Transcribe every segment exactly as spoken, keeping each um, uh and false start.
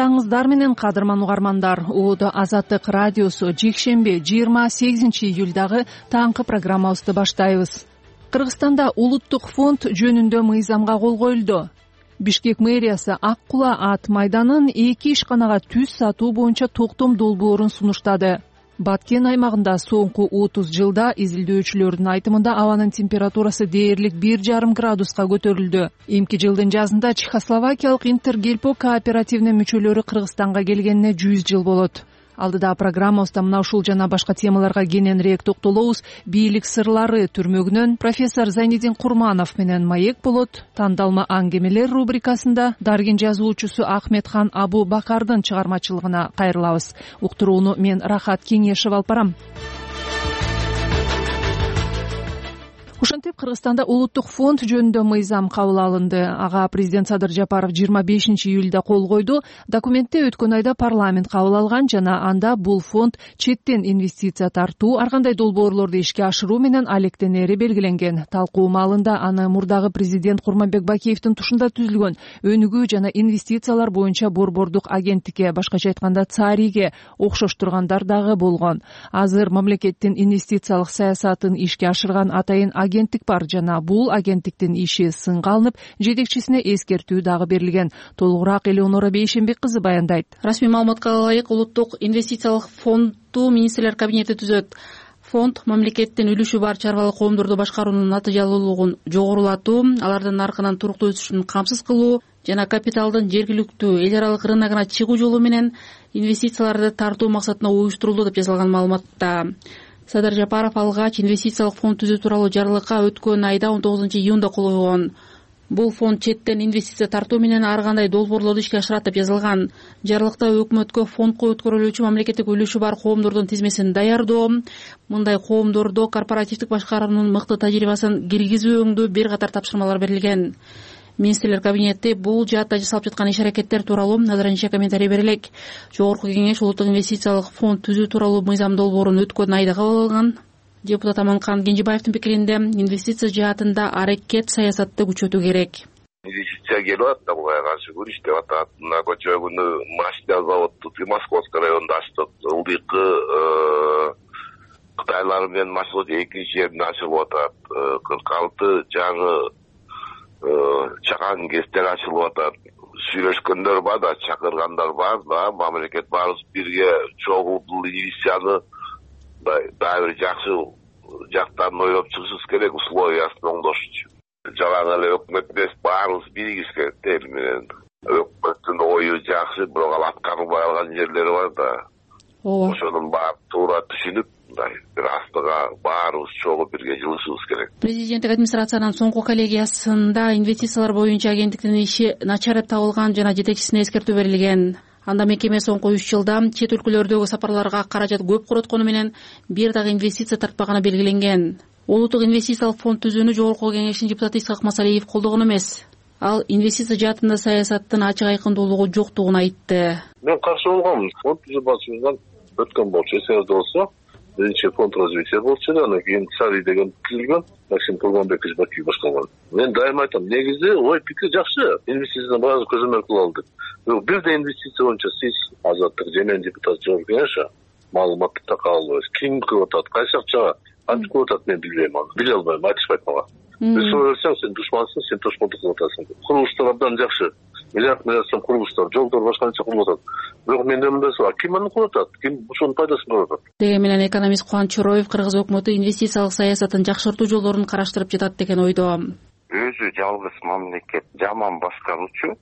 кутмандооңуздар менен кадырман угармандар. Ууда Азаттык радиосу жекшемби жыйырма сегизинчи июлдагы таңкы программабызды баштайбыз. Кыргызстанда улуттук фонд жөнүндө мыйзамга кол коюлду. Бишкек мэриясы Ак Кула ат майданын эки ишканага түз сатуу боюнча токтом долбоорун сунуштады. Баткен аймагында соңку отуз жылда изилдөөчүлөрдүн айтымында абанын температурасы дээрлик бир жарым градуска көтөрүлдү. Эмки жылдын жазында Чехословакиялык Интергельпо кооперативинин мүчөлөрү Кыргызстанга келгенине жүз жыл болот. Алдыда программабызда мына ушул жана башка темаларга кененирээк токтолобуз. Бийлик сырлары түрмөгүнөн профессор Зайнидин Курманов менен маек болот. Тандалма аңгемелер рубрикасында Даргин жазуучусу Ахметхан Абу Бакардын чыгармачылыгына кайрылабыз. Уктурууну мен Рахат Кеңешев алып барам. Ушинтип Кыргызстанда улуттук фонд жөнүндө мыйзам кабыл алынды. Ага президент Садыр Жапаров жыйырма бешинчи июлда кол койду. Документте өткөн айда парламент кабыл алган жана анда бул фонд четтен инвестиция тартуу, ар кандай долбоорлорду ишке ашыруу менен алектенери белгиленген. Талкуу маалында аны мурдагы президент Курманбек Бакиевдин тушунда түзүлгөн өнүгүү жана инвестициялар боюнча борбордук агенттикке, башкача айтканда ЦАРИге окшоштургандар дагы болгон. Азыр мамлекеттин инвестициялык саясатын ишке ашырган атайын агенттик бар жана бул агенттиктин иши сынга алынып, жетекчисине эскертүү дагы берилген. Толугураак Элеонора Бейшенбек кызы баяндайт. Расмий маалыматка ылайык улуттук инвестициялык фонду министрлер кабинети түзөт. Фонд мамлекеттин үлүшү бар чарбалык коомдорду башкаруунун натыйжалуулугун жогорулатуу, алардын наркынын туруктуу өсүшүн камсыз кылуу жана капиталдын жергиликтүү эл аралык рыногуна чыгуу жолу менен инвестицияларды тартуу максатында уюштурулду деп жазылган маалыматта. Садыр Жапаров алгач инвестициялык фонд түзүү тууралуу жарлыкка өткөн айда он тогузунчу июнда кол койгон. Бул фонд четтен инвестиция тартуу менен ар кандай долбоорлорду ишке ашырат деп жазылган. Жарлыкта өкмөткө фондко өткөрүлүүчү мамлекеттик үлүшү бар коомдордун тизмесин даярдоо, мындай коомдордо корпоративдик башкаруунун мыкты тажрыйбасын киргизүү өңдүү бир катар тапшырмалар берилген. Министрлер кабинети бул жаатта жасалып жаткан иш-аракеттер тууралуу азырынча комментарий берелек. Жогорку кеңеш улуттук инвестициялык фонд түзүү тууралуу мыйзам долбоорун өткөн айда кабыл алган. Депутат Аманкан Кенжебаевдин пикиринде инвестиция жаатында аракет саясатты күчөтүү керек. Инвестиция келип атат, буга каршы күрөш деп атат. Мына көчө күнү машина заводду Московский районунда ачтык. Ылдыйкы Кытайлар менен маршрут экинчи жерде ачылып атат. кырк алты жаңы чакан кестер ачылып атат. Сүйлөшкөндөр бар да, чакыргандар бар да, мамлекет баарыбыз бирге чогуу бул инвестицияны дагы бир жакшы жактарын ойлоп чыгышыбыз керек, условиясын оңдошчу. Жалаң эле өкмөт эмес, баарыбыз биригиш керек эл менен. Өкмөттүн ою жакшы, бирок ал аткарылбай калган жерлери бар да. Ооба. Ошонун баарын туура түшүнүп, бир астыга баарыбыз чогуу бирге жылышыбыз керек. Президенттик администрациянын соңку коллегиясында инвестициялар боюнча агенттиктин иши начар деп табылган жана жетекчисине эскертүү берилген. Анда мекеме соңку үч жылда чет өлкөлөрдөгү сапарларга каражат көп короткону менен бир дагы инвестиция тартпаганы белгиленген. Улуттук инвестициялык фонд түзүүнү жогорку кеңештин депутаты Исхак Масалиев колдогон эмес. Ал инвестиция жаатында саясаттын ачык айкындуулугу жоктугун айтты. Мен каршы болгом. Фонд түзүү башчысынан өткөн болчу, эсиңизде болсо, биринчи фонд развития болчу, андан кийин ЦАРИ деген түзүлгөн, Максим Курманбекович Бакиев башкарган. Мен дайыма айтам, негизи ой пикир жакшы, инвестицияны баары көзөмөл кыла алдык. Бир да инвестиция боюнча сиз Азаттык жемен депутат жогорку кеңеш маалыматты така албайсыз. Ким кылып атат, кайсы акчага кантип кылып атат, мен билбейм аны. Биле албайм, айтышпайт мага. Бир сөйлөсөң, сен душмансың, сен тошкондук кылып атасың. Курулуштар абдан жакшы. Миллиард миллиард сом курулуштар, жолдор башка нече курулуп атат. Бирок менде мындай сууал, ким аны кылып атат? Ким ошонун пайдасын көрүп атат? Деген менен экономист Кубаныч Чороев кыргыз өкмөтү инвестициялык саясатын жакшыртуу жолдорун караштырып жатат деген ойдо. Өзү жалгыз мамлекет жаман башкаруучу,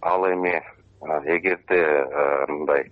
ал эми эгерде мындай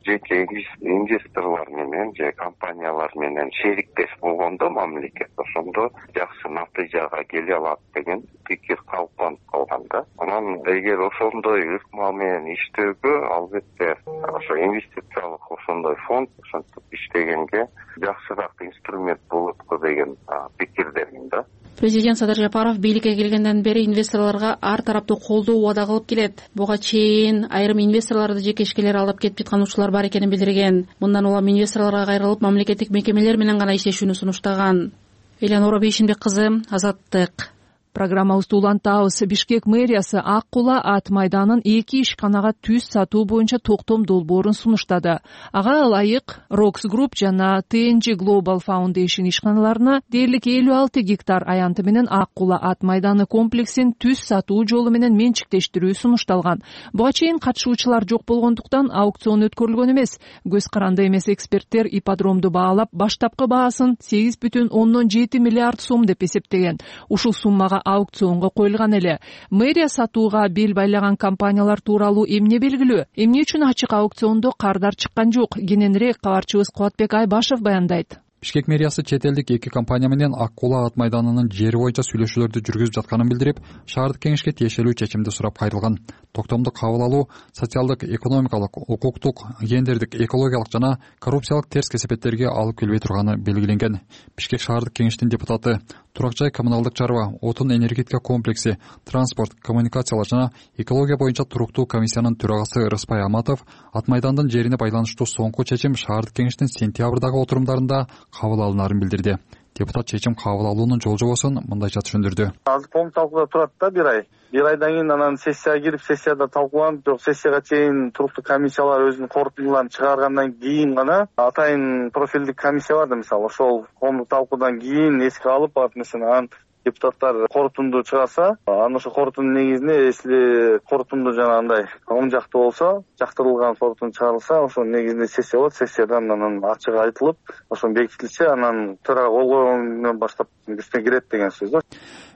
жеке инвесторлор менен же компаниялар менен шериктеш болгондо мамлекет ошондо жакшы натыйжага келе алат деген пикир калыптанып калган да. Анан эгер ошондой ыкма менен иштөөгө албетте ошо инвестициялык ошондой фонд ошентип иштегенге жакшыраак инструмент болот го деген пикирдемин да. Президент Садыр Жапаров бийликке келгенден бери инвесторлорго ар тараптуу колдоо убада кылып келет. Буга чейин айрым инвесторлорду жекешкелер алдап кетип жаткан учурлар бар экенин билдирген. Мындан улам инвесторлорго кайрылып, мамлекеттик мекемелер менен гана иштешүүнү сунуштаган. Элеонора Бейшенбек кызы, Азаттык. Программабызды улантабыз. Бишкек мэриясы Ак Кула ат майданын эки ишканага түз сатуу боюнча токтом долбоорун сунуштады. Ага ылайык Рокс Групп жана ти эн джи Global Foundation ишканаларына дээрлик элүү алты гектар аянты менен Ак Кула ат майданы комплексин түз сатуу жолу менен менчиктештирүү сунушталган. Буга чейин катышуучулар жок болгондуктан аукцион өткөрүлгөн эмес. Көз каранды эмес эксперттер ипподромду баалап баштапкы баасын сегиз бүтүн ондон жети миллиард сом деп эсептеген. Ушул суммага аукционго коюлган эле. Мэрия сатууга бел байлаган компаниялар тууралуу эмне белгилүү? Эмне үчүн ачык аукциондо кардар чыккан жок? Кененирээк кабарчыбыз Кубатбек Айбашев баяндайт. Бишкек мэриясы чет элдик эки компания менен Ак Кула ат майданынын жери боюнча сүйлөшүүлөрдү жүргүзүп жатканын билдирип, шаардык кеңешке тиешелүү чечимди сурап кайрылган. Токтомду кабыл алуу социалдык, экономикалык, укуктук, гендердик, экологиялык жана коррупциялык терс кесепеттерге алып келбей турганы белгиленген. Бишкек шаардык кеңештин депутаты, турак жай коммуналдык чарба, отун энергетика комплекси, транспорт, коммуникациялар жана экология боюнча туруктуу комиссиянын төрагасы Рыспай Аматов ат майдандын жерине байланыштуу соңку чечим шаардык кеңештин сентябрдагы отурумдарында кабыл алынаарын билдирди. Депутат чечим кабыл алуунун жол-жобосун мындайча түшүндүрдү. Азыр коомдук талкууда турат да бир ай. Бир айдан кийин анан сессияга кирип, сессияда талкууланып, жок сессияга чейин туруктуу комиссиялар өзүнүн корутундуларын чыгаргандан кийин гана атайын профилдик комиссия бар да, мисалы, ошол коомдук талкуудан кийин эске алып, барып мисалы анан депутаттар корутунду чыгарса, анан ошо корутундун негизинде если корутунду жанагындай оң жактуу болсо, жактырылган корутунду чыгарылса, ошонун негизинде сессия болот. Сессиядан анан ачык айтылып, ошон бекитилсе, анан төрага кол койгондон баштап күчүнө кирет деген сөз да.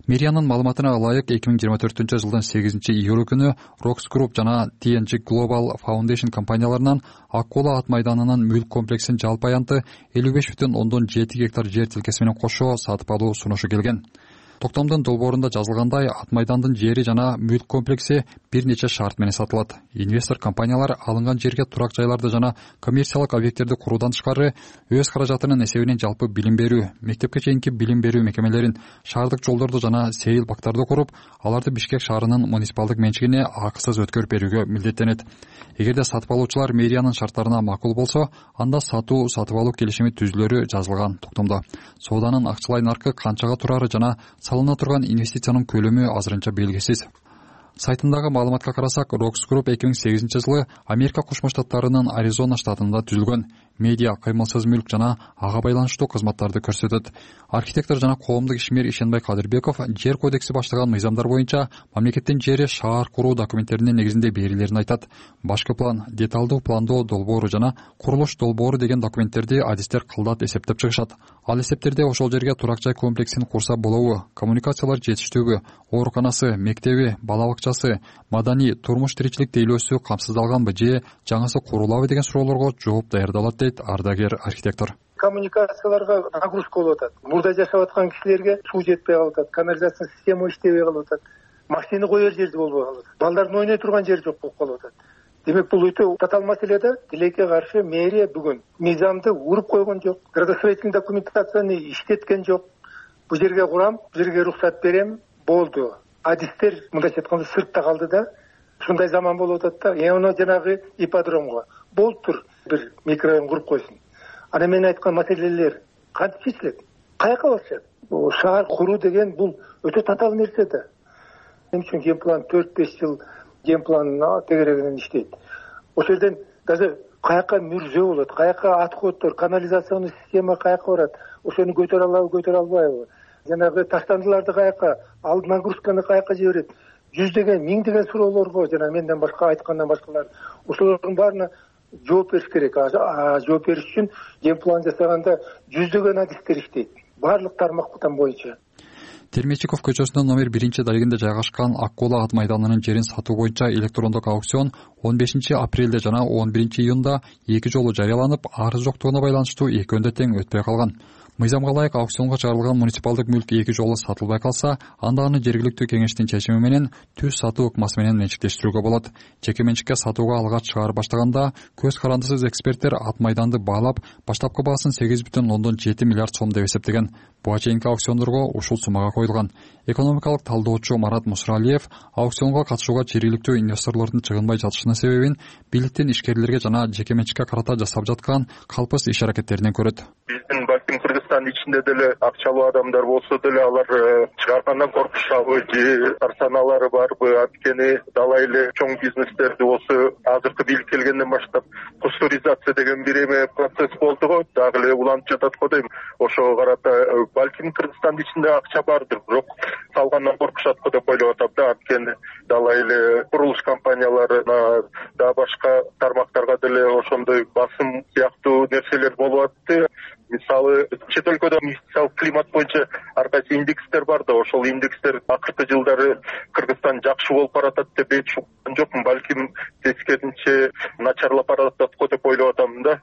Мэриянын маалыматына ылайык эки миң жыйырма төртүнчү жылдын сегизинчи июль күнү Рокс Групп жана ти эн джи Global Foundation компанияларынан Ак Кула ат майданынын мүлк комплексин жалпы аянты элүү беш бүтүн ондон жети гектар жер тилкеси менен кошо сатып алуу сунушу келген. Токтомдун долбоорунда жазылгандай, ат майдандын жери жана мүлк комплекси бир нече шарт менен сатылат. Инвестор компаниялар алынган жерге турак жайларды жана коммерциялык объекттерди куруудан тышкары өз каражатынын эсебинен жалпы билим берүү, мектепке чейинки билим берүү мекемелерин, шаардык жолдорду жана сейил бактарды куруп, аларды Бишкек шаарынын муниципалдык менчигине акысыз өткөрүп берүүгө милдеттенет. Эгерде сатып алуучулар мэриянын шарттарына макул болсо, анда сатуу сатып алуу келишими түзүлөрү жазылган токтомдо. Сооданын акчалай наркы канчага турары жана салына турган инвестициянын көлөмү азырынча белгисиз. Сайтындагы маалыматка карасак, Рокс Групп эки миң сегизинчи жылы Америка Кошмо Штаттарынын Аризона штатында түзүлгөн. Медиа, кыймылсыз мүлк жана ага байланыштуу кызматтарды көрсөтөт. Архитектор жана коомдук ишмер Ишенбай Кадырбеков жер кодекси баштаган мыйзамдар боюнча мамлекеттин жери шаар куруу документтеринин негизинде берилерин айтат. Башкы план, деталдуу пландоо долбоору жана курулуш долбоору деген документтерди адистер кылдат эсептеп чыгышат. Ал эсептерде ошол жерге турак жай комплексин курса болобу, коммуникациялар жетиштүүбү, ооруканасы, мектеби, бала бакчасы, маданий, турмуш тиричилик тейлөөсү камсыздалганбы же жаңысы курулабы деген суроолорго жооп даярдалат дейт ардагер архитектор. Коммуникацияларга нагрузка болуп атат. Мурда жашап аткан кишилерге суу жетпей калып атат, канализация система иштебей калып атат, машина коер жерди болбой калып атат, балдардын ойной турган жери жок болуп калып атат. Демек бул өтө татаал маселе да. Тилекке каршы мэрия бүгүн мыйзамды уруп койгон жок, градостроительный документацияны иштеткен жок. Бул жерге курам, бул жерге уруксат берем, болду. Адистер мындайча айтканда сыртта калды да. Ушундай заман болуп атат да. Эми жанагы ипподромго болуптур, бир микрорайон куруп койсун. Ана мен айткан маселелер кантип чечилет? Каяка барышат? Шаар куруу деген бул өтө татаал нерсе да. Мен үчүн генплан төрт беш жыл генплан тегерегинен иштейт. Ошол жерден даже каяка мүрзө болот, каяка отходдор, канализационный система каяка барат, ошону көтөрө алабы, көтөрө албайбы? Жанагы таштандыларды каяка, ал нагрузканы каяка жиберет? Жүздөгөн, миңдеген суроолорго жана менден башка айткандан башкалар ошолордун баарына жооп бериш керек. Жооп бериш үчүн генплан жасаганда жүздөгөн адистер иштейт, баардык тармактан боюнча. Термечиков көчөсүнүн номер биринчи дарегинде жайгашкан Ак Кула ат майданынын жерин сатуу боюнча электрондук аукцион он бешинчи апрелде жана он биринчи июнда эки жолу жарыяланып, арыз жоктугуна байланыштуу экөөнү да тең өтпөй калган. Мыйзамга ылайык аукционго чыгарылган муниципалдык мүлк эки жолу сатылбай калса, анда аны жергиликтүү кеңештин чечими менен түз сатуу ыкмасы менен менчиктештирүүгө болот. Жеке менчикке сатууга алгач чыгарып баштаганда көз карандысыз эксперттер ат майданды баалап, баштапкы баасын сегиз бүтүн ондон жети миллиард сом деп эсептеген. Буга чейинки аукциондорго ушул суммага коюлган. Экономикалык талдоочу Марат Мусралиев аукционго катышууга жергиликтүү инвесторлордун чыгынбай жатышынын себебин бийликтин ишкерлерге жана жеке менчикке карата жасап жаткан калпыс иш аракеттеринен көрөт. Биздин балким Кыргызстандын ичинде деле акчалуу адамдар болсо деле алар чыгаргандан коркушабы же тарсаналары барбы? Анткени дала эле чоң бизнестерди болсо азыркы бийлик келгенден баштап пастеризация деген бир эме процесс болду го, дагы эле уланып жатат го дейм. Ошого карата балким Кыргызстандын ичинде акча бардыр, бирок салгандан коркушат го деп ойлоп атам да. Анткени дала эле курулуш компанияларына да башка тармактарга деле ошондой басым сыяктуу нерселер болуп атты. Мисалы чет өлкөдө инвестициялык климат боюнча ар кайсы индекстер бар да, ошол индекстер акыркы жылдары Кыргызстан жакшы болуп баратат деп эч уккан жокмун. Балким тескерисинче начарлап баратат го деп ойлоп атам да.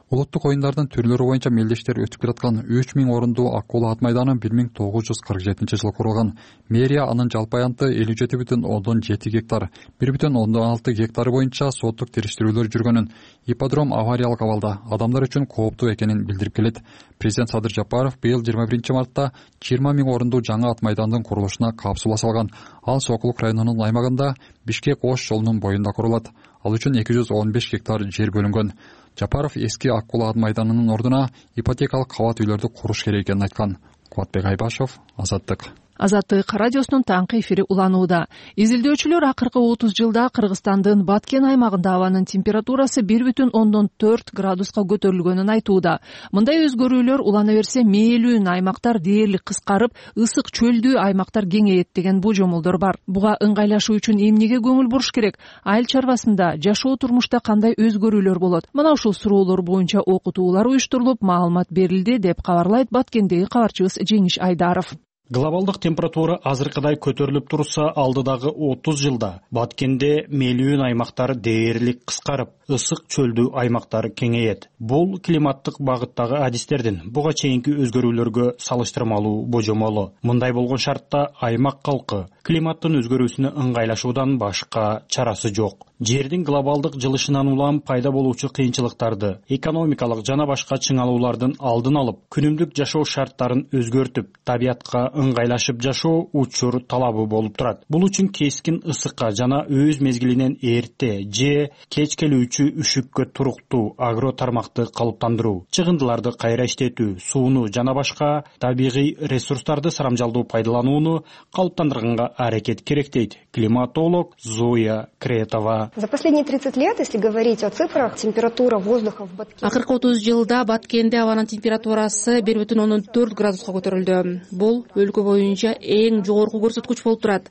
Улуттук оюндардын түрлөрү боюнча мелдештер өтүп келаткан үч миң орундуу ак куло ат майданы бир миң тогуз жүз кырк жетинчи жылы курулган. Мэрия анын жалпы аянты элүү жети бүтүн ондон жети гектар, бир бүтүн ондон алты гектары боюнча соттук териштирүүлөр жүргөнүн, ипподром авариялык абалда, адамдар үчүн кооптуу экенин билдирип келет. Президент Садыр Жапаров быйыл жыйырма биринчи мартта жыйырма миң орундуу жаңы ат майдандын курулушуна капсула салган. Ал Сокулук районунун аймагында Бишкек Ош жолунун боюнда курулат. Ал үчүн эки жүз он беш гектар жер бөлүнгөн. Жапаров эски ак куло ат майданынын ордуна ипотекалык кабат үйлөрдү куруш керек экенин айткан. Кубатбек Айбашев, Азаттык. Азаттык радиосунун таңкы эфири уланууда. Изилдөөчүлөр акыркы отуз жылда Кыргызстандын Баткен аймагында абанын температурасы бир бүтүн ондон төрт градуска көтөрүлгөнүн айтууда. Мындай өзгөрүүлөр улана берсе мээлүүн аймактар дээрлик кыскарып, ысык чөлдүү аймактар кеңейет деген божомолдор бар. Буга ыңгайлашуу үчүн эмнеге көңүл буруш керек? Айыл чарбасында, жашоо турмушта кандай өзгөрүүлөр болот? Мына ушул суроолор боюнча окутуулар уюштурулуп, маалымат берилди деп кабарлайт Баткендеги кабарчыбыз Жеңиш Айдаров. Глобалдык температура азыркыдай көтөрүлүп турса, алдыдагы отуз жылда Баткенде мээлүүн аймактар дээрлик кыскарып, ысык чөлдүү аймактар кеңейет. Бул климаттык багыттагы адистердин буга чейинки өзгөрүүлөргө салыштырмалуу божомолу. Мындай болгон шартта аймак калкы климаттын өзгөрүүсүнө ыңгайлашуудан башка чарасы жок. Жердин глобалдык жылышынан улам пайда болуучу кыйынчылыктарды, экономикалык жана башка чыңалуулардын алдын алып, күнүмдүк жашоо шарттарын өзгөртүп, табиятка ыңгайлашып жашоо учур талабы болуп турат. Бул үчүн кескин ысыкка жана өз мезгилинен эрте же кеч келүүчү үшүккө туруктуу агро тармакты калыптандыруу, чыгындыларды кайра иштетүү, сууну жана башка табигый ресурстарды сарамжалдуу пайдаланууну калыптандырганга аракет керек дейт климатолог Зоя Кретова. За последние тридцать лет, если говорить о цифрах, температура воздуха в Баткене. Акыркы отуз жылда Баткенде абанын температурасы бир бүтүн ондон төрт градуска көтөрүлдү. Бул өлкө боюнча эң жогорку көрсөткүч болуп турат.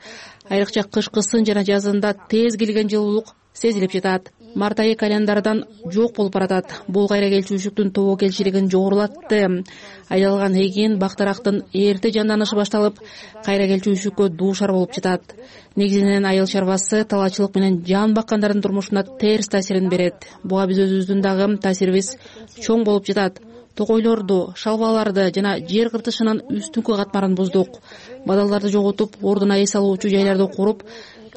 Айрыкча кышкысын жана жазында тез келген жылуулук сезилип жатат. Март айы календардан жок болуп баратат. Бул кайра келчүчүлүктүн тобокелчилигин жогорулатты. Айдалган эген, бактарактын эрте жанданышы башталып, кайра келчүчүлүккө дуушар болуп жатат. Негизинен айыл чарбасы талаачылык менен жан баккандардын турмушуна терс таасирин берет. Буга биз өзүбүздүн дагы таасирибиз чоң болуп жатат. Токойлорду, шалбаларды жана жер кыртышынын үстүңкү катмарын буздук. Бадалдарды жоготуп, ордуна эс алуучу жайларды куруп,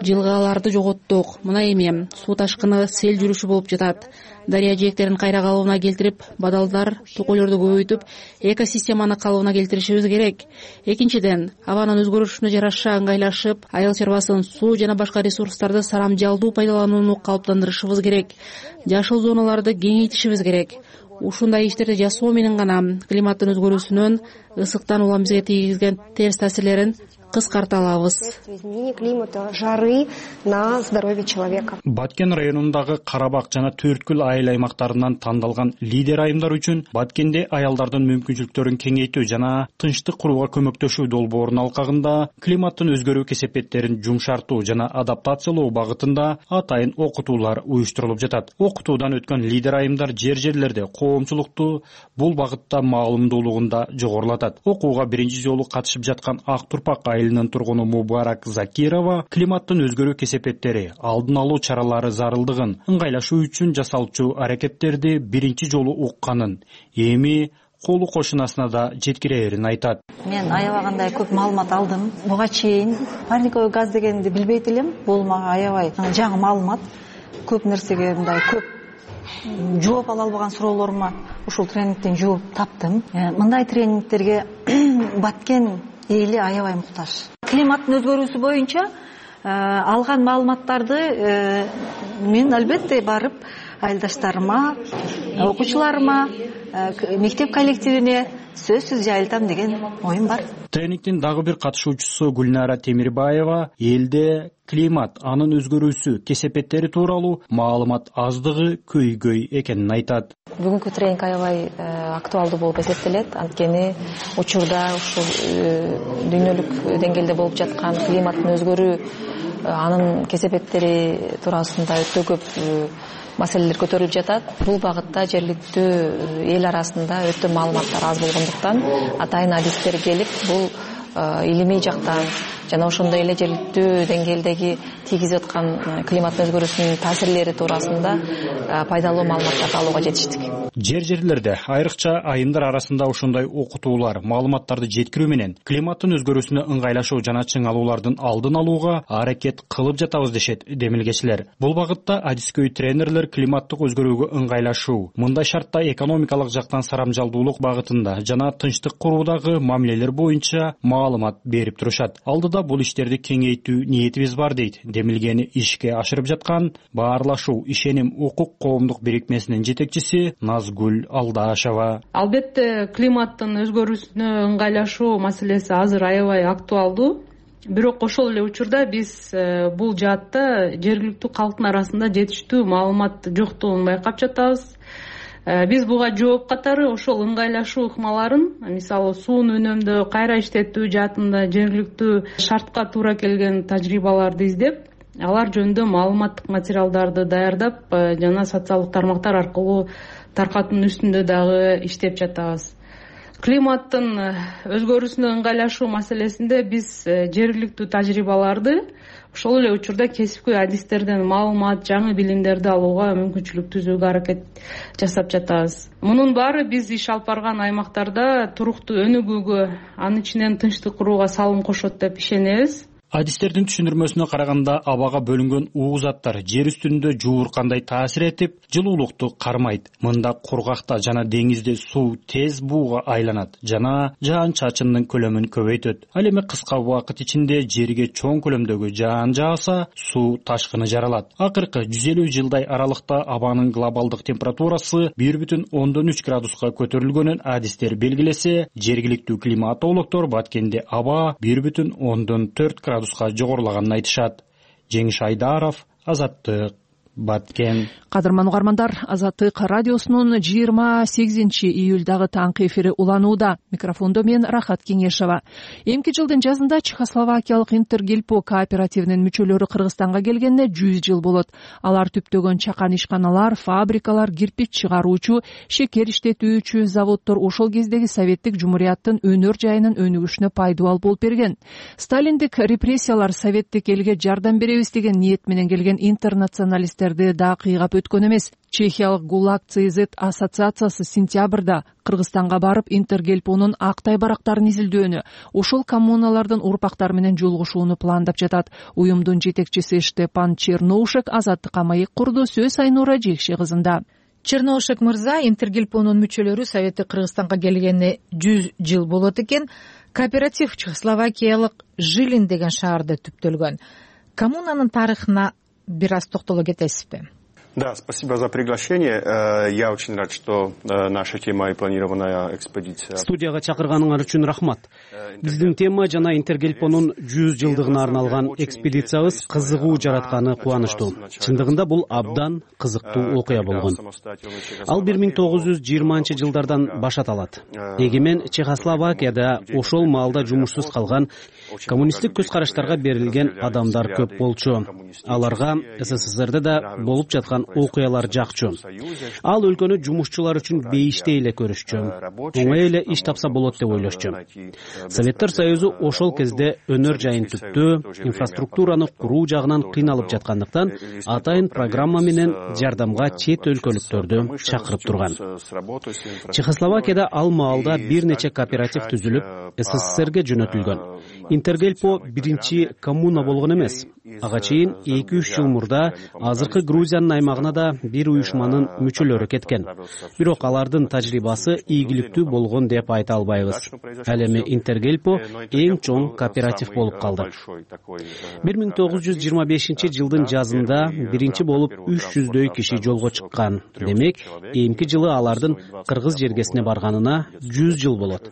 жылгаларды жоготтук. Мына эми суу ташкыны, сел жүрүшү болуп жатат. Дарыя жээктерин кайра калыбына келтирип, бадалдар, токойлорду көбөйтүп, экосистеманы калыбына келтиришибиз керек. Экинчиден, абанын өзгөрүшүнө жараша ыңгайлашып, айыл чарбасын, суу жана башка ресурстарды сарамжалдуу пайдаланууну калыптандырышыбыз керек. Жашыл зоналарды кеңейтишибиз керек. Ушундай иштерди жасоо менен гана климаттын өзгөрүүсүнөн, ысыктан улам бизге тийгизген терс таасирлерин кыскарта алабыз. Изменение климата, жары на здоровье человека. Баткен районундагы Карабак жана Төрткүл айыл аймактарынан тандалган лидер айымдар үчүн Баткенде аялдардын мүмкүнчүлүктөрүн кеңейтүү жана тынчтык курууга көмөктөшүү долбоорунун алкагында климаттын өзгөрүү кесепеттерин жумшартуу жана адаптациялоо багытында атайын окутуулар уюштурулуп жатат. Окутуудан өткөн лидер айымдар жер-жерлерде коомчулукту бул багытта маалымдуулугунда жогорулатат. Окууга биринчи жолу катышып жаткан Ак Турпак айылынын тургуну Мубарак Закирова климаттын өзгөрүү кесепеттери, алдын алуу чаралары зарылдыгын, ыңгайлашуу үчүн жасалчу аракеттерди биринчи жолу укканын, эми колу кошунасына да жеткирээрин айтат. Мен аябагандай көп маалымат алдым. Буга чейин парниковый газ дегенди билбейт элем. Бул мага аябай жаңы маалымат. Көп нерсеге мындай көп жооп ала албаган суроолорума ушул тренингден жооп таптым. Мындай тренингтерге Баткен эли аябай муктаж. Климаттын өзгөрүүсү боюнча алган маалыматтарды мен албетте барып айылдаштарыма, окуучуларыма, мектеп коллективине сөзсүз жайылтам деген оюм бар. Тренингдин дагы бир катышуучусу Гүлнара Темирбаева элде климат, анын өзгөрүүсү, кесепеттери тууралуу маалымат аздыгы көйгөй экенин айтат. Бүгүнкү тренинг аябай актуалдуу болуп эсептелет. Анткени учурда ушул дүйнөлүк деңгээлде болуп жаткан климаттын өзгөрүү, анын кесепеттери туурасында өтө көп маселелер көтөрүлүп жатат. Бул багытта жергиликтүү эл арасында өтө маалыматтар аз болгондуктан атайын адистер келип, бул илимий жактан жана ошондой эле жергиликтүү деңгээлдеги тийгизип аткан климаттын өзгөрүүсүнүн таасирлери туурасында пайдалуу маалыматтарды алууга жетиштик. Жер жерлерде, айрыкча айымдар арасында ошондой окутуулар, маалыматтарды жеткирүү менен климаттын өзгөрүүсүнө ыңгайлашуу жана чыңалуулардын алдын алууга аракет кылып жатабыз дешет демилгечилер. Бул багытта адискөй тренерлер климаттык өзгөрүүгө ыңгайлашуу, мындай шартта экономикалык жактан сарамжалдуулук багытында жана тынчтык куруудагы мамилелер боюнча маалымат берип турушат. Алдыда бул иштерди кеңейтүү ниетибиз бар дейт демилгени ишке ашырып жаткан Баарлашуу ишеним укук коомдук бирикмесинин жетекчиси Назгүл Алдашева. Албетте климаттын өзгөрүүсүнө ыңгайлашуу маселеси азыр аябай актуалдуу. Бирок ошол эле учурда биз бул жаатта жергиликтүү калктын арасында жетиштүү маалымат жоктугун байкап жатабыз. Биз буга жооп катары ошол ыңгайлашуу ыкмаларын, мисалы суун үнөмдөө, кайра иштетүү жаатында жергиликтүү шартка туура келген тажрыйбаларды издеп, алар жөнүндө маалыматтык материалдарды даярдап жана социалдык тармактар аркылуу таркатуунун үстүндө дагы иштеп жатабыз. Климаттын өзгөрүүсүнө ыңгайлашуу маселесинде биз жергиликтүү тажрыйбаларды, ошол эле учурда кесипкөй адистерден маалымат, жаңы билимдерди алууга мүмкүнчүлүк түзүүгө аракет жасап жатабыз. Мунун баары биз иш алып барган аймактарда туруктуу өнүгүүгө, анын ичинен тынчтык курууга салым кошот деп ишенебиз. Адистердин түшүндүрмөсүнө караганда, абага бөлүнгөн уу заттар жер үстүндө жууркандай таасир этип, жылуулукту кармайт. Мында кургакта жана деңизде суу тез бууга айланат жана жаан-чачындын көлөмүн көбөйтөт. Ал эми кыска убакыт ичинде жерге чоң көлөмдөгү жаан жааса, суу ташкыны жаралат. Акыркы жүз элүү жылдай аралыкта абанын глобалдык температурасы бир бүтүн ондон үч градуска көтөрүлгөнүн адистер белгилесе, жергиликтүү климатологдор баткенде аба бир бүтүн ондон төрт градуска жогорулаганын айтышат. Жеңиш Айдаров, Азаттык, Баткен. Кадырман угармандар, Азаттык радиосунун жыйырма сегизинчи июлдагы таңкы эфири уланууда. Микрофондо мен Рахат Кеңешова. Эмки жылдын жазында Чехословакиялык Интергельпо кооперативинин мүчөлөрү Кыргызстанга келгенине жүз жыл болот. Алар түптөгөн чакан ишканалар, фабрикалар, кирпич чыгаруучу, шекер иштетүүчү заводдор ошол кездеги советтик жумурияттын өнөр жайынын өнүгүшүнө пайдубал болуп берген. Сталиндик репрессиялар советтик элге жардам беребиз деген ниет менен келген интернационалисттер да кыйгап өткөн эмес. Чехиялык ГУЛАГ ЦЗ ассоциациясы сентябрда Кыргызстанга барып Интергельпонун актай барактарын изилдөөнү, ошол коммуналардын урпактары менен жолугушууну пландап жатат. Уюмдун жетекчиси Штепан Черноушек Азаттыкка маек курду. Сөз Айнура Жекше кызында. Черноушек мырза, Интергельпонун мүчөлөрү советтик Кыргызстанга келгенине жүз жыл болот экен. Кооператив чехословакиялык Жилин деген шаарда түптөлгөн. Коммунанын тарыхына бир аз токтоло кетесизби? Да, спасибо за приглашение. Я очень рад, что наша тема и планированная экспедиция. Студияга чакырганыңар үчүн рахмат. Биздин тема жана Интергельпонун жүз жылдыгына арналган экспедициябыз кызыгуу жаратканы кубанычтуу. Чындыгында бул абдан кызыктуу окуя болгон. Ал бир миң тогуз жүз жыйырманчы жылдардан башат алат. Эгемен Чехословакияда ошол маалда жумушсуз калган, коммунисттик көз караштарга берилген адамдар көп болчу. Аларга СССРде да болуп жаткан окуялар жакчу. Ал өлкөнү жумушчулар үчүн бейиштей эле көрүшчү. Оңой эле иш тапса болот деп ойлошчу. Советтер Союзу ошол кезде өнөр жайын түптөө, инфраструктураны куруу жагынан кыйналып жаткандыктан атайын программа менен жардамга чет өлкөлүктөрдү чакырып турган. Чехословакияда ал маалда бир нече кооператив түзүлүп, СССРге жөнөтүлгөн. Интергельпо биринчи коммуна болгон эмес. Ага чейин эки үч жыл мурда азыркы Грузиянын аймагына да бир уюшманын мүчөлөрү кеткен. Бирок алардын тажрыйбасы ийгиликтүү болгон деп айта албайбыз. Ал эми Интергельпо эң чоң кооператив болуп калды. бир миң тогуз жүз жыйырма бешинчи жылдын жазында биринчи болуп үч жүздөй киши жолго чыккан. Демек, эмки жылы алардын Кыргыз жергесине барганына жүз жыл болот.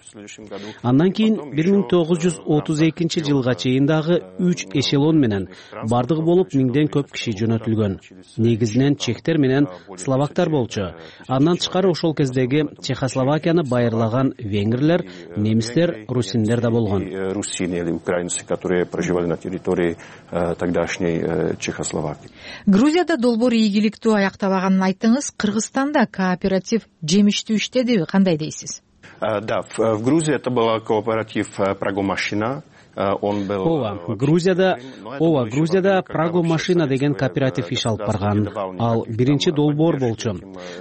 Андан кийин бир миң тогуз жүз отуз экинчи жылга чейин дагы үч эшелон менен бардыгы болуп миңден көп киши жөнөтүлгөн. Негизинен чехтер менен словактар болчу. Андан тышкары ошол кездеги Чехословакияны байырлаган венгрлер, немистер, русиндер да болгон. Русины или украинцы, которые проживали на территории тогдашней Чехословакии. Грузияда долбоор ийгиликтүү аяктабаганын айттыңыз. Кыргызстанда кооператив жемиштүү иштедиби? Кандай дейсиз? Да, в Грузии это был кооператив Прагомашина. Ооба, Грузияда, ооба, Грузияда Прагомашина деген кооператив иш алып барган. Ал биринчи долбоор болчу.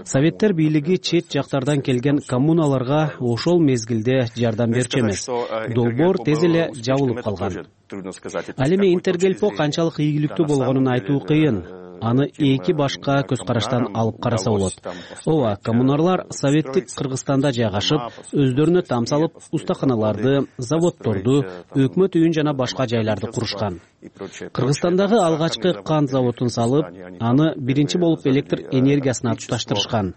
Советтер бийлиги чет жактардан келген коммуналарга ошол мезгилде жардам берчү эмес. Долбоор тез эле жабылып калган. Ал эми Интергельпо канчалык ийгиликтүү болгонун айтуу кыйын. Аны эки башка көз караштан алып караса болот. Ооба, коммунарлар советтик Кыргызстанда жайгашып, өздөрүнө там салып, устаканаларды, заводдорду, өкмөт үйүн жана башка жайларды курушкан. Кыргызстандагы алгачкы кант заводун салып, аны биринчи болуп электр энергиясына туташтырышкан.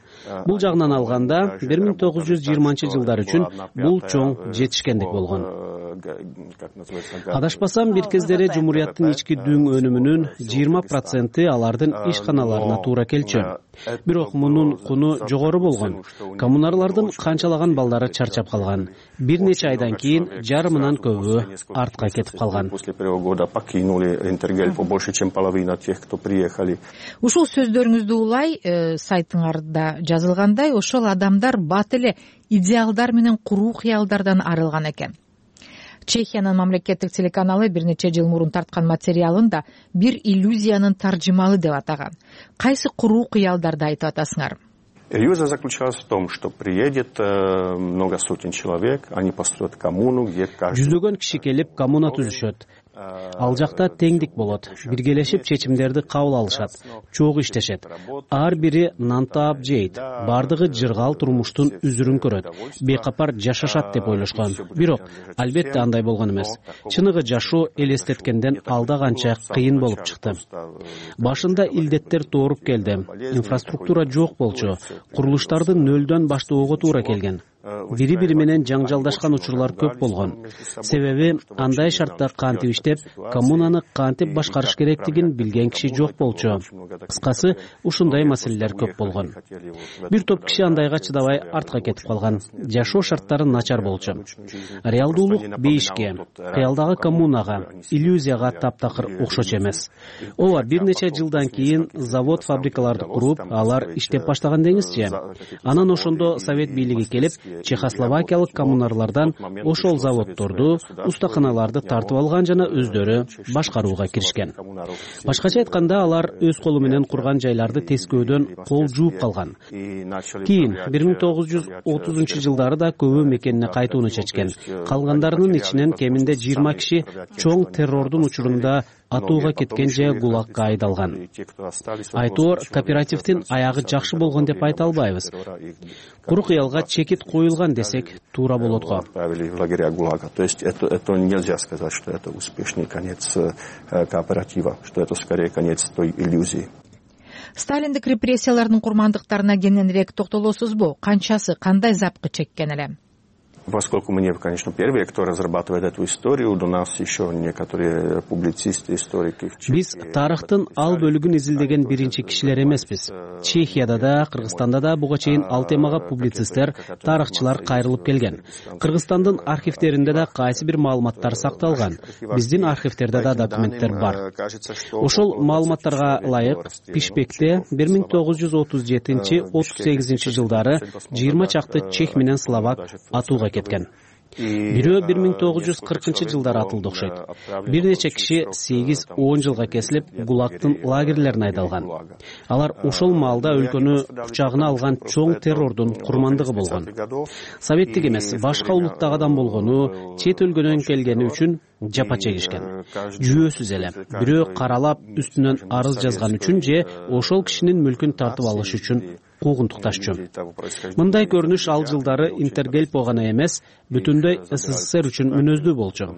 Бул жагынан алганда бир миң тогуз жүз жыйырманчы жылдар үчүн бул чоң жетишкендик болгон. Адашпасам, бир кездери Жумурияттын ички дүң өнүмүнүн жыйырма проценти алардын ишканаларына туура келчү. Бирок мунун куну жогору болгон. Коммунарлардын канчалаган балдары чарчап калган. Бир нече айдан кийин жарымынан көбү артка кетип калган. Ушул сөздөрүңүздү улай, сайтыңарда жазылгандай, ошол адамдар бат эле идеалдар менен куруу кыялдардан арылган экен. Чехиянын мамлекеттик телеканалы бир нече жыл мурун тарткан материалын да бир иллюзиянын таржымалы деп атаган. Кайсы куруу кыялдарды айтып атасыңар? Иллюзия заключалась в том, что приедет много сотен человек, они построят коммуну, где каждый... Жүздөгөн киши келип коммуна түзүшөт. Ал жакта теңдик болот. Биргелешип чечимдерди кабыл алышат. Чогуу иштешет. Ар бири нан таап жейт. Бардыгы жыргал турмуштун үзүрүн көрөт. Бейкапар жашашат деп ойлошкон. Бирок албетте андай болгон эмес. Чыныгы жашоо элестеткенден алда канча кыйын болуп чыкты. Башында илдеттер тооруп келди. Инфраструктура жок болчу. Курулуштарды нөлдөн баштоого туура келген. Бири-бири менен жаңжалдашкан учурлар көп болгон. Себеби андай шартта кантип иштеп, коммунаны кантип башкарыш керектигин билген киши жок болчу. Кыскасы, ушундай маселелер көп болгон. Бир топ киши андайга чыдабай артка кетип калган. Жашоо шарттары начар болчу. Реалдуулук бейишке, кыялдагы коммунага, иллюзияга таптакыр окшоч эмес. Ооба, бир нече жылдан кийин завод, фабрикаларды куруп, алар иштеп баштаган деңизчи. Анан ошондо совет бийлиги келип, чехословакиялык коммунарлардан ошол заводдорду, устаканаларды тартып алган жана өздөрү башкарууга киришкен. Башкача айтканда, алар өз колу менен курган жайларды тескөөдөн кол жууп калган. Кийин бир миң тогуз жүз отузунчу жылдары да көбү мекенине кайтууну чечкен. Калгандарынын ичинен кеминде жыйырма киши чоң террордун учурунда атууга кеткен же гулагка айдалган. Айтоор, кооперативдин аягы жакшы болгон деп айта албайбыз. Куру кыялга чекит коюлган десек туура болот го. То есть это нельзя сказать, что это успешный конец кооператива, что это скорее конец той иллюзии. Сталиндик репрессиялардын курмандыктарына кененирээк токтолосузбу? Канчасы кандай запкы чеккен эле? Поскольку мы не, конечно, первые, кто разрабатывает эту историю, у нас еще некоторые публицисты, историки. Биз тарыхтын ал бөлүгүн изилдеген биринчи кишилер эмеспиз. Чехияда да, Кыргызстанда да буга чейин ал темага публицисттер, тарыхчылар кайрылып келген. Кыргызстандын архивдеринде да кайсы бир маалыматтар сакталган. Биздин архивдерде да документтер бар. Ошол маалыматтарга ылайык Пишпекте бир миң тогуз жүз отуз жетинчи — отуз сегизинчи жылдары жыйырма чакты чех менен словак атууга кеткен. Бирөө бир миң тогуз жүз кыркынчы жылдары атылды окшойт. Бир нече киши сегиз он жылга кесилип Гулагтын лагерлерине айдалган. Алар ошол маалда өлкөнү кучагына алган чоң террордун курмандыгы болгон. Советтик эмес, башка улуттагы адам болгону, чет өлкөдөн келгени үчүн жапа чегишкен. Жүйөсүз эле бирөө каралап үстүнөн арыз жазган үчүн же ошол кишинин мүлкүн тартып алыш үчүн куугунтукташчу. Мындай көрүнүш ал жылдары Интергельпо гана эмес, бүтүндөй СССР үчүн мүнөздүү болчу.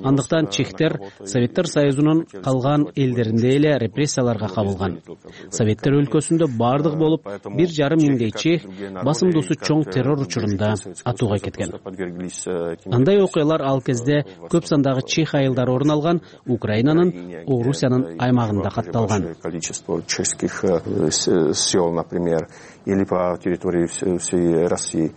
Андыктан чехтер Советтер Союзунун калган элдеринде эле репрессияларга кабылган. Советтер өлкөсүндө бардык болуп бир жарым миңдей чех басымдуусу чоң террор учурунда атууга кеткен. Андай окуялар ал кезде көп сандагы чех айылдары орун алган Украинанын, Орусиянын аймагында катталган. Или по территории всей России.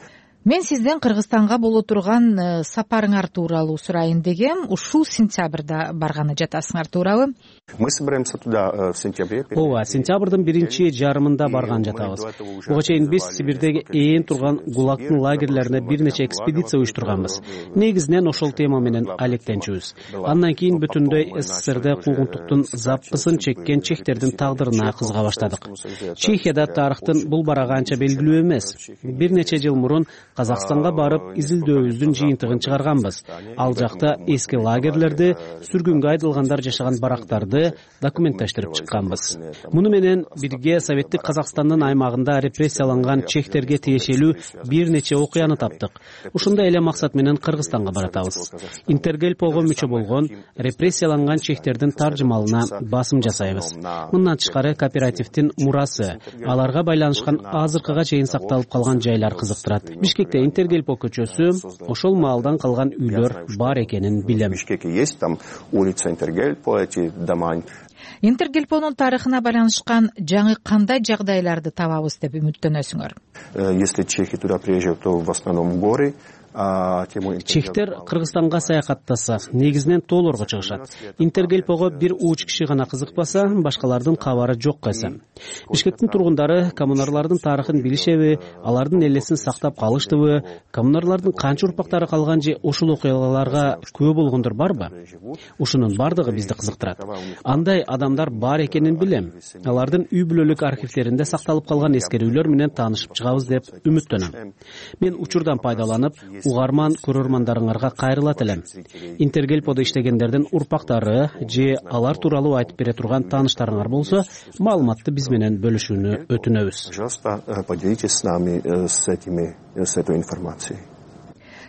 Мен сизден Кыргызстанга боло турган сапарыңар тууралуу сурайын дегем. Ушул сентябрда барганы жатасыңар туурабы? Мы собираемся туда в сентябре. Ооба, сентябрдын биринчи жарымында барган жатабыз. Буга чейин биз Сибирдеги ээн турган Гулагтын лагерлерине бир нече экспедиция уюштурганбыз. Негизинен ошол тема менен алектенчүбүз. Андан кийин бүтүндөй СССРде куугунтуктун запкысын чеккен чехтердин тагдырына кызыга баштадык. Чехияда тарыхтын бул барагы анча белгилүү эмес. Бир нече жыл мурун Казакстанга барып изилдөөбүздүн жыйынтыгын чыгарганбыз. Ал жакта эски лагерлерди, сүргүнгө айдалгандар жашаган барактарды документтештирип чыкканбыз. Муну менен бирге Советтик Казакстандын аймагында репрессияланган чехтерге тиешелүү бир нече окуяны таптык. Ушундай эле максат менен Кыргызстанга баратабыз. Интергельпого мүчө болгон репрессияланган чехтердин таржымалына басым жасайбыз. Мындан тышкары кооперативдин мурасы, аларга байланышкан азыркыга чейин сакталып калган жайлар кызыктырат. Бишкекте Интергельпо көчөсү, ошол маалдан калган үйлөр бар экенин билем. Интергельпонун тарыхына байланышкан жаңы кандай жагдайларды табабыз деп үмүттөнөсүңөр? Если чехи туда приезжают, то в основном горы. Чехтер Кыргызстанга саякаттаса, негизинен тоолорго чыгышат. Интергельпого бир уч киши гана кызыкпаса, башкалардын кабары жок кайса. Бишкектин тургундары коммунарлардын тарыхын билишеби, алардын элесин сактап калыштыбы, коммунарлардын канча урпактары калган же ушул окуяларга күбө болгондор барбы? Ушунун бардыгы бизди кызыктырат. Андай адамдар бар экенин билем. Алардын үй бүлөлүк архивдеринде сакталып калган эскерүүлөр менен таанышып чыгабыз деп үмүттөнөм. Мен учурдан пайдаланып, угарман көрөрмандарыңарга кайрылат элем. Интергельподо иштегендердин урпактары же алар тууралуу айтып бере турган тааныштарыңар болсо, маалыматты биз менен бөлүшүүнү өтүнөбүз. Пожалуйста, поделитесь с нами с этими с этой информацией.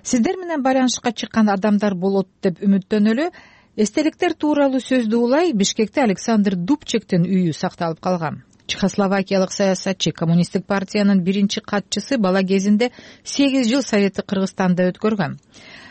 Сиздер менен байланышка чыккан адамдар болот деп үмүттөнөлү. Эстеликтер тууралуу сөздү улай Бишкекте Александр Дубчектин үйү сакталып калган. Чехословакиялык саясатчы, коммунисттик партиянын биринчи катчысы бала кезинде сегиз жыл Советтик Кыргызстанда өткөргөн.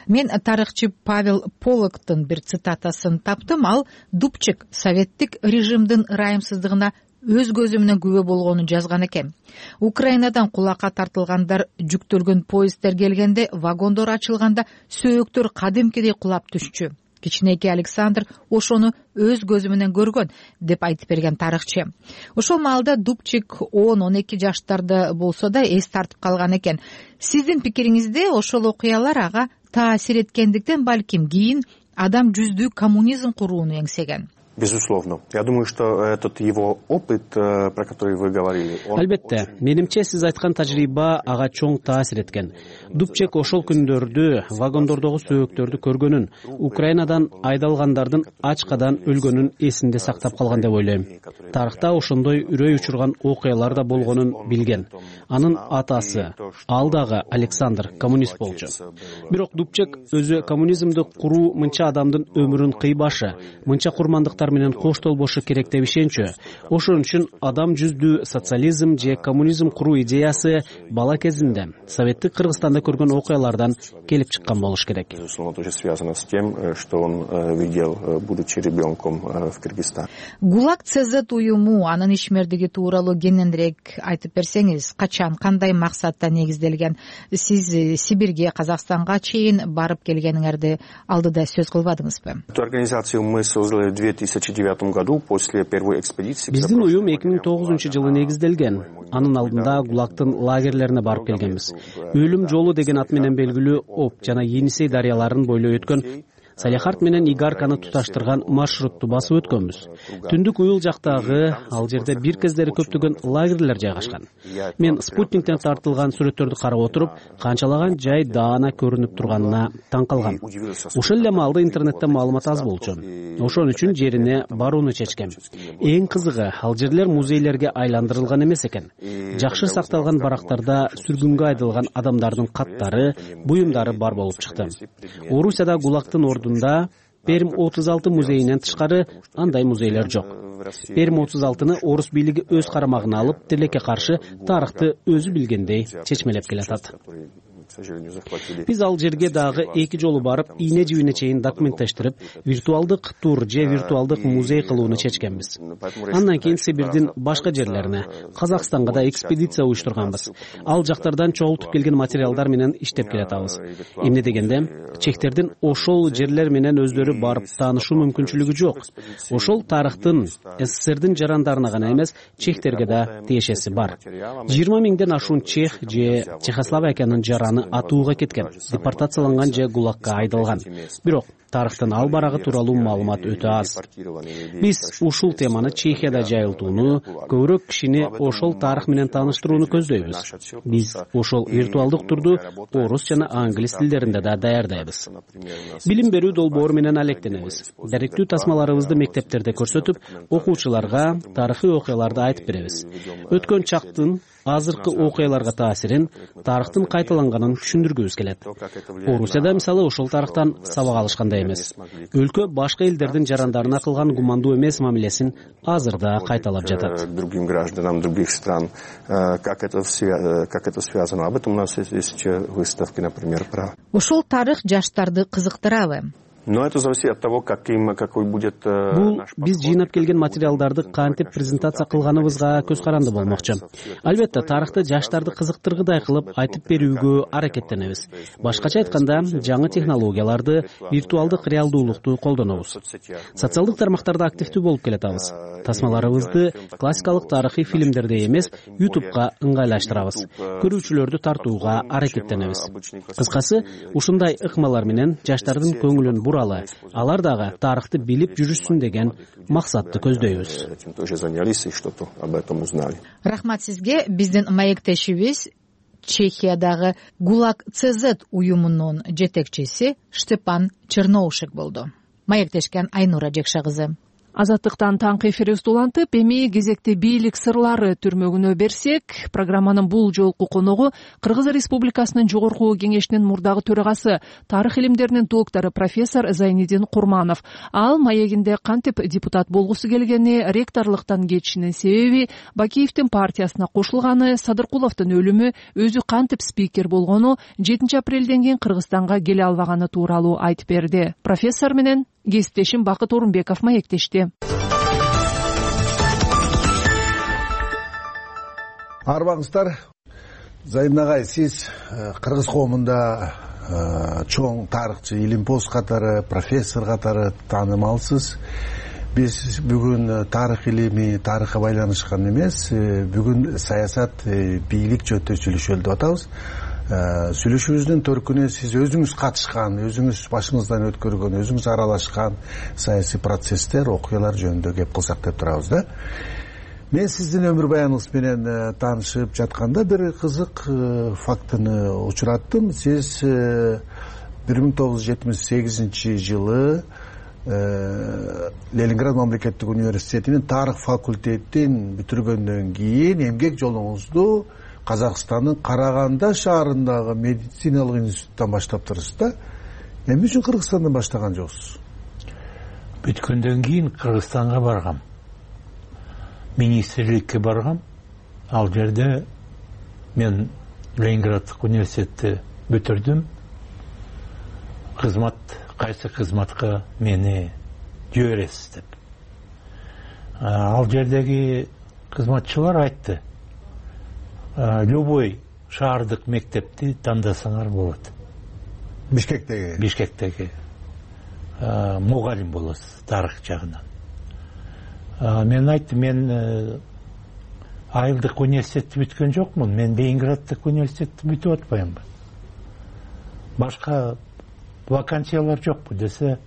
Мен тарыхчы Павел Полоктун бир цитатасын таптым. Ал Дубчек советтик режимдин ырайымсыздыгына өз көзү менен күбө болгонун жазган экен. Украинадан кулакка тартылгандар жүктөлгөн поезддер келгенде, вагондор ачылганда сөөктөр кадимкидей кулап түшчү. Кичинекей Александр ошону өз көзү менен көргөн деп айтып берген тарыхчы. Ошол маалда Дубчек он он эки жаштарда болсо да эс тартып калган экен. Сиздин пикириңизде ошол окуялар ага таасир эткендиктен балким кийин адам жүздүү коммунизм курууну эңсеген. Безусловно. Я думаю, что этот его опыт, про который вы говорили, он... Албетте, менимче сиз айткан тажрыйба ага чоң таасир эткен. Дубчек ошол күндөрдү вагондордогу сөөктөрдү көргөнүн, Украинадан айдалгандардын ачкадан өлгөнүн эсинде сактап калган деп ойлойм. Тарыхта ошондой үрөй учурган окуялар да болгонун билген. Анын атасы, ал дагы Александр, коммунист болчу. Бирок Дубчек өзү коммунизмди куруу мынча адамдын өмүрүн кыйбашы, мынча курмандыктар менен коштолбошу керек деп ишенчү. Ошон үчүн адам жүздүү социализм же коммунизм куруу идеясы бала кезинде Советтик Кыргызстанда көргөн окуялардан келип чыккан болуш керек. Безусловно, тоже связано с тем, что он видел, будучи ребенком в Кыргызстане. Гулаг ЦЗ уюму, анын ишмердиги тууралуу кененирээк айтып берсеңиз, качан, кандай максатта негизделген? Сиз Сибирге, Казакстанга чейин барып келгениңерди алдыда сөз кылбадыңызбы? Эту организацию мы создали в две тысячи тысяча девятом году после первой экспедиции биздин уюм эки миң тогузунчу жылы негизделген. Анын алдында ГУЛАГтын лагерлерине барып келгенбиз. Өлүм жолу деген ат менен белгилүү Об жана Енисей дарыяларын бойлой өткөн Салехард менен Игарканы туташтырган маршрутту басып өткөнбүз. Түндүк уюл жактагы ал жерде бир кездери көптөгөн лагерлер жайгашкан. Мен спутниктен тартылган сүрөттөрдү карап отуруп, канчалаган жай даана көрүнүп турганына таң калгам. Ошол эле маалда интернетте маалымат аз болчу. Ошон үчүн жерине барууну чечкем. Эң кызыгы, ал жерлер музейлерге айландырылган эмес экен. Жакшы сакталган барактарда сүргүнгө айдалган адамдардын каттары, буюмдары бар болуп чыкты. Орусияда ГУЛАГтын ордунда Перм отуз алты музейинен тышкары андай музейлер жок. Перм отуз алтыны орус бийлиги өз карамагына алып, тилекке каршы тарыхты өзү билгендей чечмелеп келатат. Биз ал жерге дагы эки жолу барып, ийне жибине чейин документтештирип, виртуалдык тур же виртуалдык музей кылууну чечкенбиз. Андан кийин Сибирдин башка жерлерине, Казакстанга да экспедиция уюштурганбыз. Ал жактардан чогултуп келген материалдар менен иштеп келатабыз. Эмне дегенде, чехтердин ошол жерлер менен өздөрү барып таанышуу мүмкүнчүлүгү жок. Ошол тарыхтын СССРдин жарандарына гана эмес, чехтерге да тиешеси бар. жыйырма миңден ашуун чех же Чехословакиянын жараны атууга кеткен, депортацияланган же ГУЛАГка айдалган. Бирок тарыхтын ал барагы тууралуу маалымат өтө аз. Биз ушул теманы Чехияда жайылтууну, көбүрөөк кишини ошол тарых менен тааныштырууну көздөйбүз. Биз ошол виртуалдык турду орус жана англис тилдеринде да даярдайбыз. Билим берүү долбоору менен алектенебиз. Даректүү тасмаларыбызды мектептерде көрсөтүп, окуучуларга тарыхый окуяларды айтып беребиз. Өткөн чактын азыркы окуяларга таасирин, тарыхтын кайталанганын түшүндүргүбүз келет. Орусияда мисалы ошол тарыхтан сабак алышкандай эмес. Өлкө башка элдердин жарандарына кылган гумандуу эмес мамилесин азыр да кайталап жатат. Другим гражданам других стран, как это как это связано? Об этом у нас есть выставки, например, про. Ошол тарых жаштарды кызыктырабы? Но это зависит от того, каким, какой будет Бул биз жыйнап келген материалдарды кантип презентация кылганыбызга көз каранды болмокчу. Албетте, тарыхты жаштарды кызыктыргыдай кылып айтып берүүгө аракеттенебиз. Башкача айтканда, жаңы технологияларды, виртуалдык реалдуулукту колдонобуз. Социалдык тармактарда активдүү болуп келатабыз. Тасмаларыбызды классикалык тарыхый фильмдерде эмес, ютубка ыңгайлаштырабыз. Көрүүчүлөрдү тартууга аракеттенебиз. Кыскасы, ушундай ыкмалар менен жаштардын көңүлүн буралы, алар дагы тарыхты билип жүрүшсүн деген максатты көздөйбүз. Рахмат сизге. Биздин маектешибиз Чехиядагы ГУЛАГ ЦЗ уюмунун жетекчиси Штепан Черноушек болду. Маектешкен Айнура Жекша кызы. Азаттыктан таңкы эфирибизди улантып, эми кезекти бийлик сырлары түрмөгүнө берсек, программанын бул жолку коногу Кыргыз Республикасынын жогорку кеңешинин мурдагы төрагасы, тарых илимдеринин доктору профессор Зайнидин Курманов. Ал маегинде кантип депутат болгусу келгени, ректорлуктан кетишинин себеби, Бакиевдин партиясына кошулганы, Садыркуловдун өлүмү, өзү кантип спикер болгону, жетинчи апрелден кийин Кыргызстанга келе албаганы тууралуу айтып берди. Профессор менен кесиптешим Бакыт Орунбеков маектешти. Арбаңыздар, Зайын агай, сиз Кыргыз коомунда чоң тарыхчы, илимпоз катары, профессор катары таанымалсыз. Биз бүгүн тарых илими, тарыхка байланышкан эмес, бүгүн саясат, бийлик жөнүндө сүйлөшөлү деп атабыз. Сүйлөшүүбүздүн төркүнү сиз өзүңүз катышкан, өзүңүз башыңыздан өткөргөн, өзүңүз аралашкан саясий процесстер, окуялар жөнүндө кеп кылсак деп турабыз да. Мен сиздин өмүр баяныңыз менен таанышып жатканда бир кызык фактыны учураттым. Сиз бир миң тогуз жүз жетимиш сегизинчи жылы Ленинград мамлекеттик университетинин тарых факультетин бүтүргөндөн кийин эмгек жолуңузду Казакстандын Караганда шаарындагы медициналык институттан баштаптырсыз да. Эмне үчүн Кыргызстандан баштаган жоксуз? Бүткөндөн кийин Кыргызстанга баргам. Министрликке баргам. Ал жерде мен Ленинграддык университетти бүтүрдүм. Кызмат, кайсы кызматка мени жибересиз деп. Ал жердеги кызматчылар айтты: любой шаардык мектепти тандасаңар болот. Бишкектеги? Бишкектеги. Мугалим болосуз тарых жагынан. мен айттым, мен айылдык университетти бүткөн жокмун, мен Ленинграддык университетти бүтүп атпаймынбы, башка вакансиялар жокпу десе,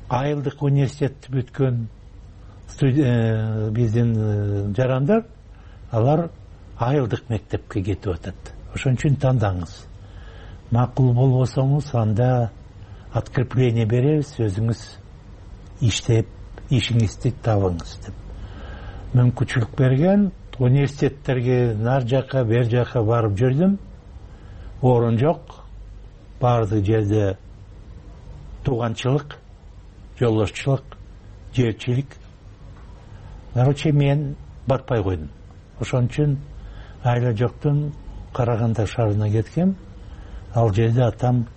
айылдык университетти бүткөн биздин жарандар, алар айылдык мектепке кетип атат. Ошон үчүн тандаңыз. Макул болбосоңуз, анда открепление беребиз, өзүңүз иштеп, ишиңизди табыңыз деп мүмкүнчүлүк берген. Университеттерге нар жака, бер жака барып жүрдүм. Орун жок. Бардык жерде тууганчылык, жолдошчулук, жерчилик. Короче, мен батпай койдум. Ошон үчүн айла жоктун Караганда шаарына кеткем. Ал жерде атам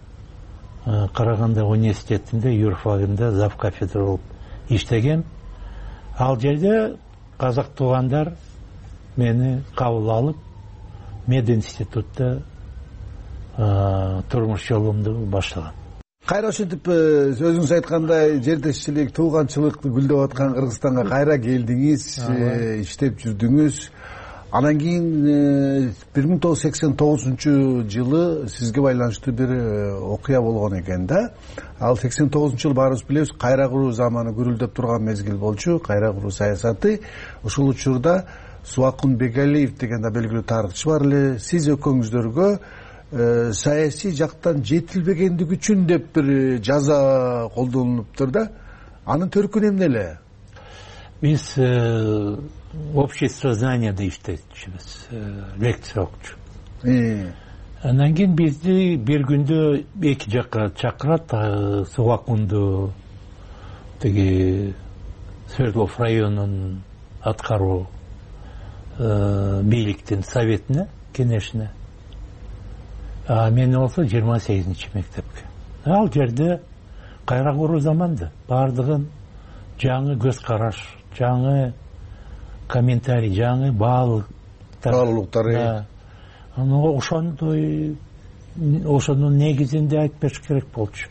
Караганда университетинде, юрфагында зав кафедра болуп иштегем. Ал жерде казак туугандар мени кабыл алып, мединститутта турмуш жолумду баштаган. Кайра ошентип өзүңүз айткандай жердешчилик, тууганчылыкты гүлдөп аткан Кыргызстанга кайра келдиңиз, иштеп жүрдүңүз. Анан кийин бир миң тогуз жүз сексен тогузунчу жылы сизге байланыштуу бир окуя болгон экен да. Ал сексен тогузунчу жыл баарыбыз билебиз, кайра куруу заманы гүрүлдөп турган мезгил болчу, кайра куруу саясаты. Ошол учурда Субакун Бегалиев деген да белгилүү тарыхчы бар эле. Сиз экөөңүздөргө саясий жактан жетилбегендик үчүн деп бир жаза колдонулуптур да. Анын төркүнү эмне эле? Биз общество знанияда иштечүбүз, лекция окучу. Андан кийин бизди бир күндө эки жакка чакырат, Субакунду тиги Свердлов районунун аткаруу бийликтин советине, кеңешине. А мен болсо жыйырма сегизинчи мектепке. Ал жерде кайра куруу заманды, бардыгын жаңы көз караш, жаңы комментарий, жаңы баалуулуктар. Аны ошондой, ошонун негизинде айтып бериш керек болчу.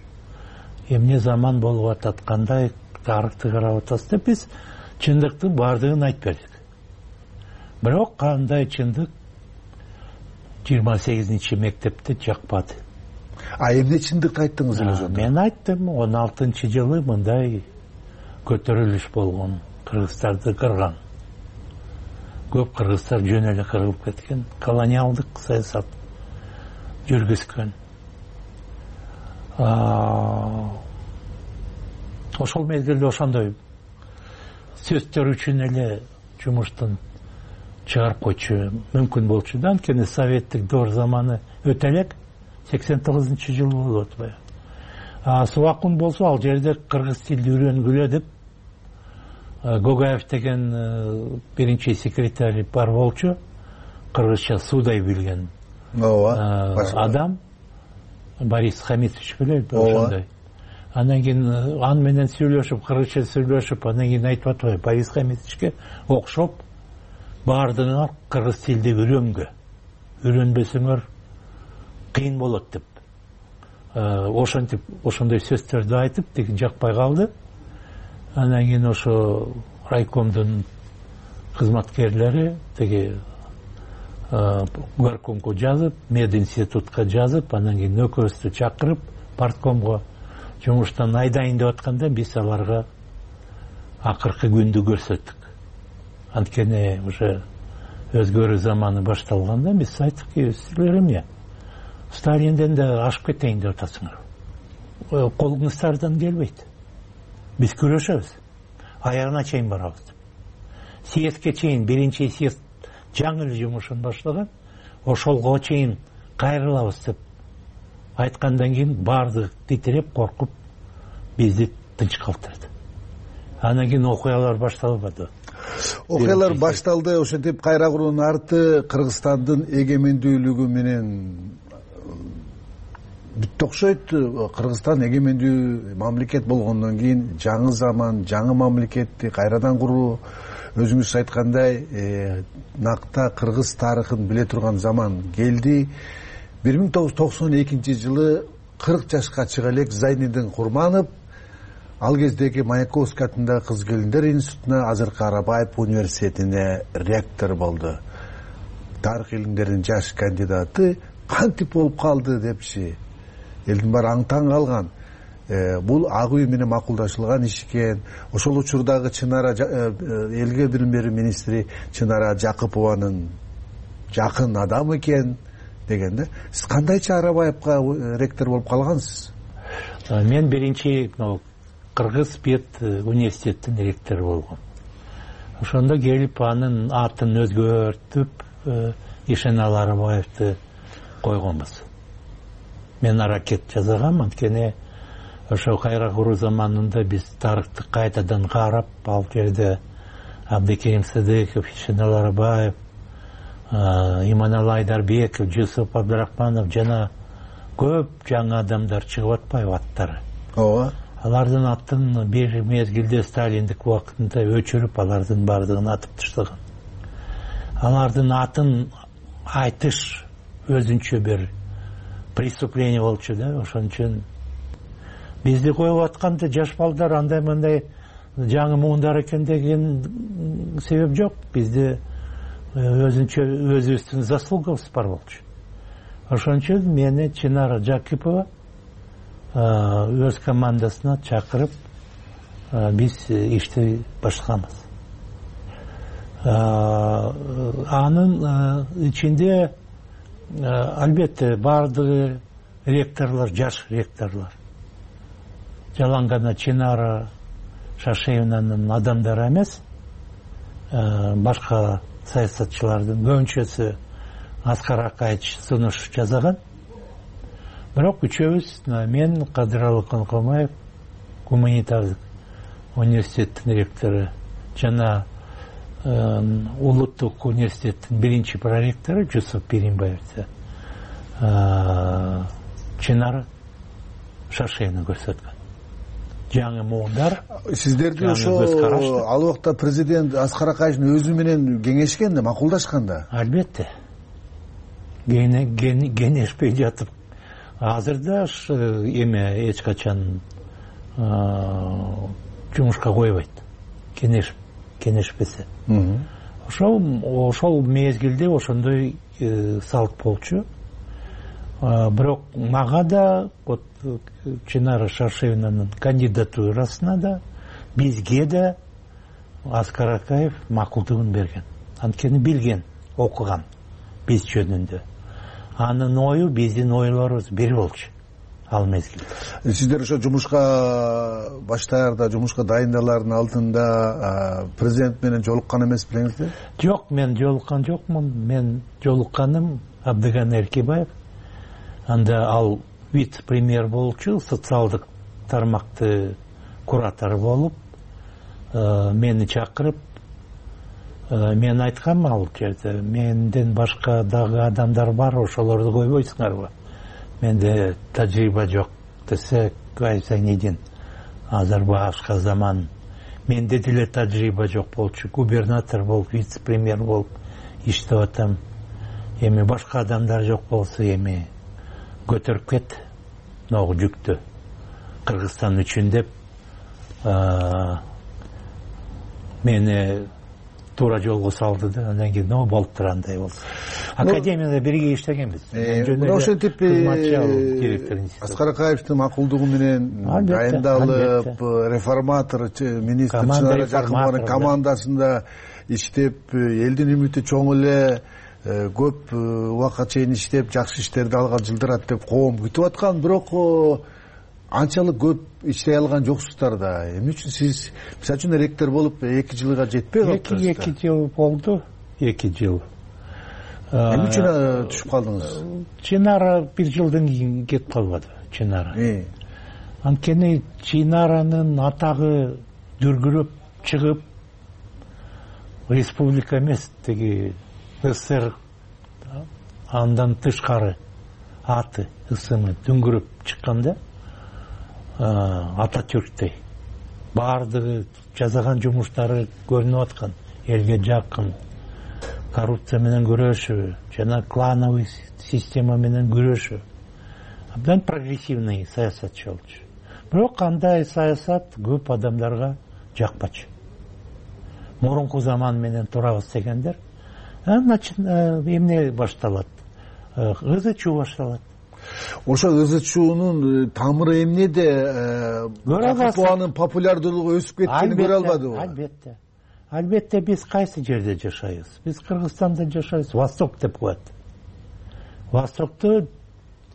Эмне заман болуп атат, кандай тарыхты карап атасыз деп биз чындыкты бардыгын айтып бердик. Бирок кандай чындык жыйырма сегизинчи мектепте жакпады. А эмне чындыкты айттыңыз эле ошондо? Мен айттым, он алтынчы жылы мындай көтөрүлүш болгон, кыргыздарды кырган. Көп кыргыздар жөн эле кырылып кеткен, колониалдык саясат жүргүзгөн. Ошол мезгилде ошондой сөздөр үчүн эле жумуштан чыгарып койчу мүмкүн болчу да. Анткени советтик доор заманы өтө элек, сексен тогузунчу жыл болуп атпайбы. А Субакун болсо ал жерде кыргыз тилди үйрөнгүлө деп Гогаев деген биринчи секретарь бар болчу, кыргызча судай билген адам, Борис Хамитович билет ошондой. Андан кийин аны менен сүйлөшүп, кыргызча сүйлөшүп, андан кийин айтып атпайбы, Борис Хамитовичке окшоп баардыгыңар кыргыз тилди үйрөнгө, үйрөнбөсөңөр кыйын болот деп. Ошентип, ошондой сөздөрдү айтып, тиги жакпай калды. Андан кийин ошо райкомдун кызматкерлери тиги горкомго жазып, мединститутка жазып, андан кийин нөкөрүбүздү чакырып, парткомго жумуштан айдайын деп атканда биз аларга акыркы күндү көрсөттүк. Анткени уже өзгөрүү заманы башталганда биз айттык, силер эмне Сталинден да ашып кетейин деп атасыңар. Колуңуздардан келбейт. Биз күрөшөбүз. Аягына чейин барабыз деп. Съездке чейин, биринчи съезд жаңы эле жумушун баштаган, ошолго чейин кайрылабыз деп айткандан кийин бардык титиреп, коркуп бизди тынч калтырды. Андан кийин окуялар башталбады. Окуялар башталды, ошентип кайра куруунун арты Кыргызстандын эгемендүүлүгү менен бүттү окшойт. Кыргызстан эгемендүү мамлекет болгондон кийин жаңы заман, жаңы мамлекетти кайрадан куруу, өзүңүз айткандай, накта кыргыз тарыхын биле турган заман келди. бир миң тогуз жүз токсон экинчи жылы кырк жашка чыга элек Зайнидин Курманов ал кездеги Маяковский атындагы кыз келиндер институтуна, азыркы Арабаев университетине ректор болду. Тарых илимдеринин жаш кандидаты кантип болуп калды депчи элдин баары аң-таң калган. Бул ак үй менен макулдашылган иш экен. Ошол учурдагы Чынара элге билим берүү министри Чынара Жакыпованын жакын адамы экен деген да. Сиз кандайча Арабаевка ректор болуп калгансыз? Мен биринчи Кыргыз Пед университетинин ректору болгом. Ошондо келип анын атын өзгөртүп Ишенал Арабаевди койгонбуз. Мен аракет жасагам, анткени ошо кайра куруу заманында биз тарыхты кайтадан карап, ал жерде Абдыкерим Сыдыков, Ишенал Арабаев, Иманалы Айдарбеков, Жусуп Абдрахманов жана көп жаңы адамдар чыгып атпайбы аттары? Ооба. Алардын атын бир мезгилде сталиндик убакытында өчүрүп, алардын бардыгын атып таштаган. Алардын атын айтыш өзүнчө бир преступление болчу да. Ошон үчүн бизди коюп атканда жаш балдар андай мындай жаңы муундар экен деген себеп жок. Бизде өзүнчө өзүбүздүн заслугабыз бар болчу. Ошон үчүн мени Чынара Жакипова өз командасына чакырып, биз ишти баштаганбыз. Анын ичинде албетте бардыгы ректорлор, жаш ректорлор. Жалаң гана Чынара Шашеевнанын адамдары эмес, башка саясатчылардын көбүнчөсү Аскар Акаевич сунуш жасаган. Бирок үчөөбүз, мен Кадыралы Конкомаев, гуманитардык университеттин ректору, жана Улуттук университеттин биринчи проректору Жусуп Пиринбаев, Чынара Шашеевна көрсөткөн. Жаңы муундар. Сиздерди ошо ал убакта президент Аскар Акаевичтин өзү менен кеңешкен да, макулдашкан да? Албетте. Кеңешпей жатып, азырда эме эч качан жумушка койбойт. Кеңешпесе. Ошол ошол мезгилде ошондой салт болчу. Бирок мага да вот Чынара Шашеевнанын кандидатурасына да, бизге да Аскар Акаев макулдугун берген. Анткени билген, окуган биз жөнүндө. Анын ою биздин ойлорубуз бир болчу ал мезгилде. Сиздер ошо жумушка баштаарда, жумушка дайындалардын алдында президент менен жолуккан эмес билеңиздер? Жок, мен жолуккан жокмун. Мен жолукканым Абдыган Эркебаев. Анда ал вице-премьер болчу, социалдык тармакты куратор болуп, мени чакырып, мен айткам ал жерде, менден башка дагы адамдар бар, ошолорду койбойсуңарбы? Менде тажрыйба жок десе, айсаң неден, азыр башка заман. Менде деле тажрыйба жок болчу, губернатор болуп, вице-премьер болуп иштеп атам. Эми башка адамдар жок болсо, эми көтөрүп кет ногу жүктү Кыргызстан үчүн деп мени туура жолго салды да. Андан кийин но болуп тургандай болду. Академияда бирге иштегенбиз. Ошентип Аскар Акаевдин макулдугу менен дайындалып, реформатор министр Чынара Жакыпованын командасында иштеп, элдин үмүтү чоң эле, көп убакытка чейин иштеп, жакшы иштерди алган, жылдырат деп коом күтүп аткан. Бирок анчалык көп иштей алган жоксуздар да. Эмне үчүн сиз мисалы үчүн ректор болуп эки жылга жетпей калдыңыз? Эки жыл болду, эки жыл. Эмне үчүн түшүп калдыңыз? Чынара бир жылдан кийин кетип калбады, Чынара. Анткени Чынаранын атагы дүргүрөп чыгып, республика эмес, теги СССР андан тышкары аты ысымы дүңгүрөп чыкканда, Ататюрктей баардыгы жасаган жумуштары көрүнүп аткан, элге жакын, коррупция менен күрөшүү жана клановый система менен күрөшүү. Абдан прогрессивный саясатчы болчу. бирок андай саясат көп адамдарга жакпачу. Мурунку заман менен турабыз дегендер эмне башталат, ызы чуу башталат. Ошо ызы чуунун тамыры эмнеде? Жакыпованын популярдуулугу өсүп кеткенин көрө албадыбы? Албетте. Албетте биз кайсы жерде жашайбыз? Биз Кыргызстанда жашайбыз. Восток деп коет. Востокто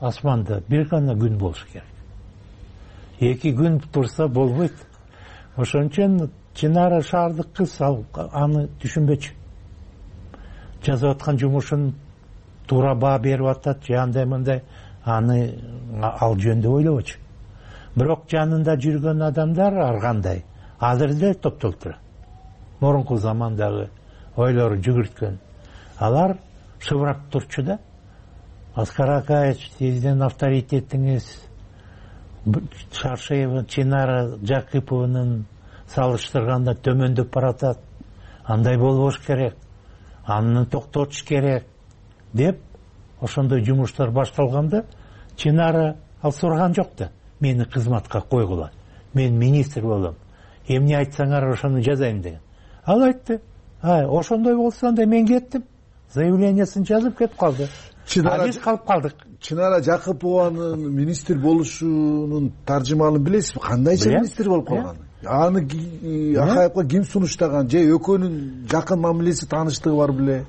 асманда бир гана күн болуш керек. Эки күн турса болбойт. Ошон үчүн Чынара шаардык кыз аны түшүнбөчү. Жазып аткан жумушун туура баа берип атат, же андай мындай аны ал жөнүндө ойлобочу. Бирок жанында жүргөн адамдар ар кандай азыр эле топтолуп турат. Мурунку замандагы ойлору жүгүрткөн. Алар шыбырап турчу да. Аскар Акаевич, сиздин авторитетиңиз Шаршеева, Чынара Жакыпованын салыштырганда төмөндөп баратат. Андай болбош керек. Аны токтотуш керек деп ошондой жумуштар башталганда Чынара ал сураган жок да. Мени кызматка койгула. Мен министр болом. Эмне айтсаңар ошону жазайм деген. Ал айтты. Ай, ошондой болсо анда мен кеттим. Заявлениясын жазып кетип калды. А биз калып калдык. Чынара Жакыпованын министр болушунун таржымалын билесизби? Кандайча министр болуп калган? Аны Акаевга ким сунуштаган? Же экөөнүн жакын мамилеси, тааныштыгы бар беле?